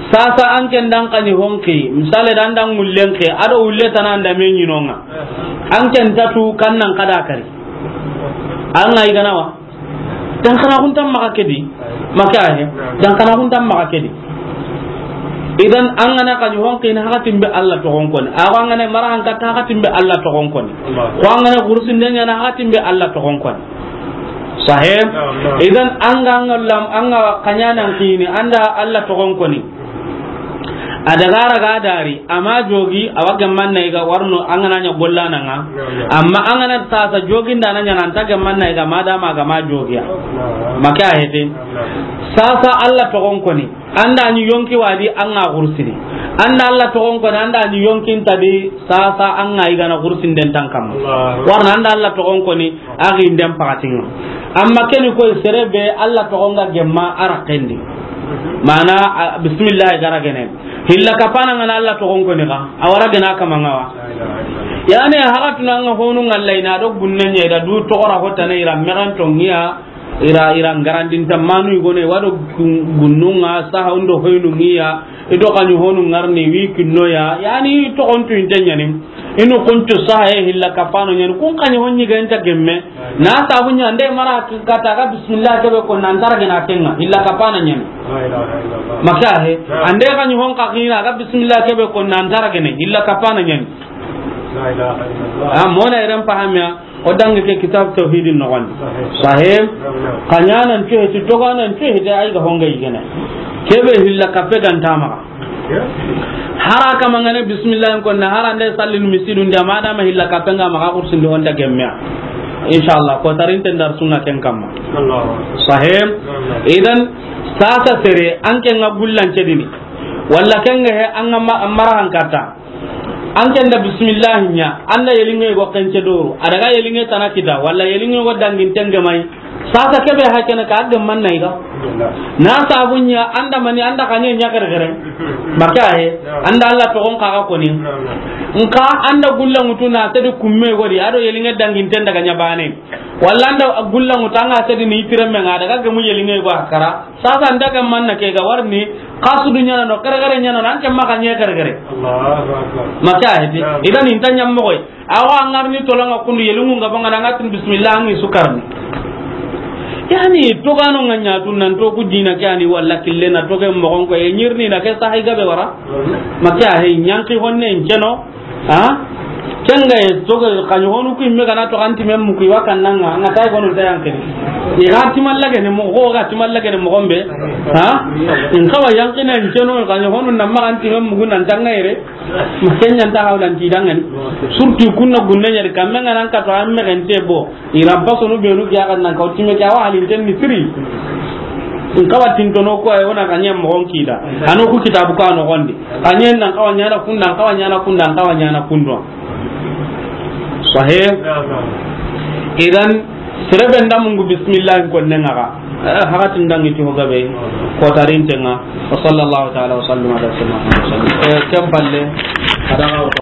Sasa an ken dan kani honki. Misale dan dan ngullen ke. Ado ulle tana anda me nyinonga. An ken tatu kannan kada kari. An ngai gana wa. Dan kana kun tam maka kedi. Maka he. Dan kana kun tam maka kedi. Idan an gana kani honki ni hakatin be Allah togon koni. Awa an gana mara an kata hakatin be Allah togon koni. Ko an gana kurusin den yana hakatin be Allah togon koni. Sahih. Naam, naam. Idan an ga, an ga lam, an ga kanyanan kini, anda Allah togon koni. A daga raga dari, ama jogi, awa gemman na iga warno, an gana nya golla nanga. Naam, naam. Amma an gana sasa jogin da na nya nan ta gemman na iga, madama ga ma jogiya. Naam. Maka hete. Naam, naam. Sasa Allah togon koni. An da ni yonki wa di, an ga xursini. An da Alla toxon koni, an da ni yonkin ta di, sasa an ga i gana xursinden tan kamma. Allahu. Warna an da Alla toxon koni, a xinden paxatin ŋa. Amma ke ni koy sere be Alla toxon ga gemma a raxen di. Mana, a, bismillah ga ra gene. Hilla kapana ŋa na Alla toxon koni xa, a wa ra gena kama ŋa wa. Yani, haxatuna ŋa honu ŋa Alla i na do gunne ɲa i da du toxora hotana i ra mexen to ŋiya, i ra, i ra ŋarandinta manu i gone, wa do gun-, gunnu ŋa saha undo hoynu ŋiya, i do xaɲi honu ŋarni wi kinno ya, yani toxon tu inte ɲani, i nu kuntu saha ye hilla kapano ɲani, kun xaɲi hon ɲi ga inte gemme, na sabu ɲa, ande mara kata ga bismillah kebe ko nan tara gena kenga, hilla kapana ɲani. La ilaha illallah. Maka he, ande xaɲi hon ka xina ga bismillah kebe ko nan tara gene, hilla kapana ɲani. La ilaha illallah. A, mona iran pahamiya, o dangi ke kitab tawhidin noxon. Sahih. Sahih. Naam, naam. Xaɲanan cuheti, toganan cuheti, ay ga honga yigene. Kebe hilla kape ganta maxa. Ya. Hara kama ngane bismillah ko na hara nde sallin misidun da ma da ma hilla kape nga maxa kursindi honda gemmeya. Inshallah, ko tarinten dar sunna ken kamma. Allahu akbar. Sahih. Naam, naam. Idan, sasa sere, an ke nga gullan cedini. Walla ken nga he, an nga ma-, mara hankata. An ken da bismillah ɲa, an da yelinge go kence doro, a daga yelinge tana kita, walla yelinge go dangin tenge mai. Sasa kebe ha kene ka adde man na iga. Na sabu ɲa, an da mani, an da kanye ɲa gare gare. Maka he, an da Alla toxon kaga koni. Nka an da gulla ŋutu na sedi kumme godi, a do yelinge dangin ten daga ɲa bane. Walla an da gulla ŋutu an ga sedi ni tiremme nga daga gemu yelinge go a kara. Sasa ndaga manna ke ga warni, kasudu ɲana no, kare kare ɲana no, an ke maxa ɲe kare kare. Allahu akbar. Maka heti. Naam. Idan inta ɲam moxoy. Awa an garni tolanga kundu yelungu nga banga nanga tin bismillah an sukarni. Yani, togano nga ɲatu nan to ku dina ke ani walla kille na toge moxon ko e ɲirni na ke sahi gabe wara. Maka he ɲanki honne nceno. Ha? Kenga e toga xaɲi honu ku imme gana to anti mem ku iwa kannanga, nga tay gonu tayanke. I ga timalla gene mo, go ga timalla gene mo gombe. Ha? In kawa yankina nceno xaɲi honu na ma anti mem ku nan tangayre. Kenya nta hawlan ti dangani. Surtout kunna gunne ɲari kamme nga nan ka to amme gente bo. Iran paso no benu ya kan nan ka otime ke awa halin ten ni siri. In kawa tintono ko ay wona kanye moxon kida. Ano ku kitabu ka noxondi. Kanye nan kawa ɲana kunda, kawa ɲana kunda, kawa ɲana kundo. Sahih. Idan serebe nda mungu bismillah ko nenga ga. Eh, hakatin dangi ti ho gabe. Ko tarintenga. Wa sallallahu ta'ala wa sallam ala sayyidina Muhammad. Eh, kem palle. Kada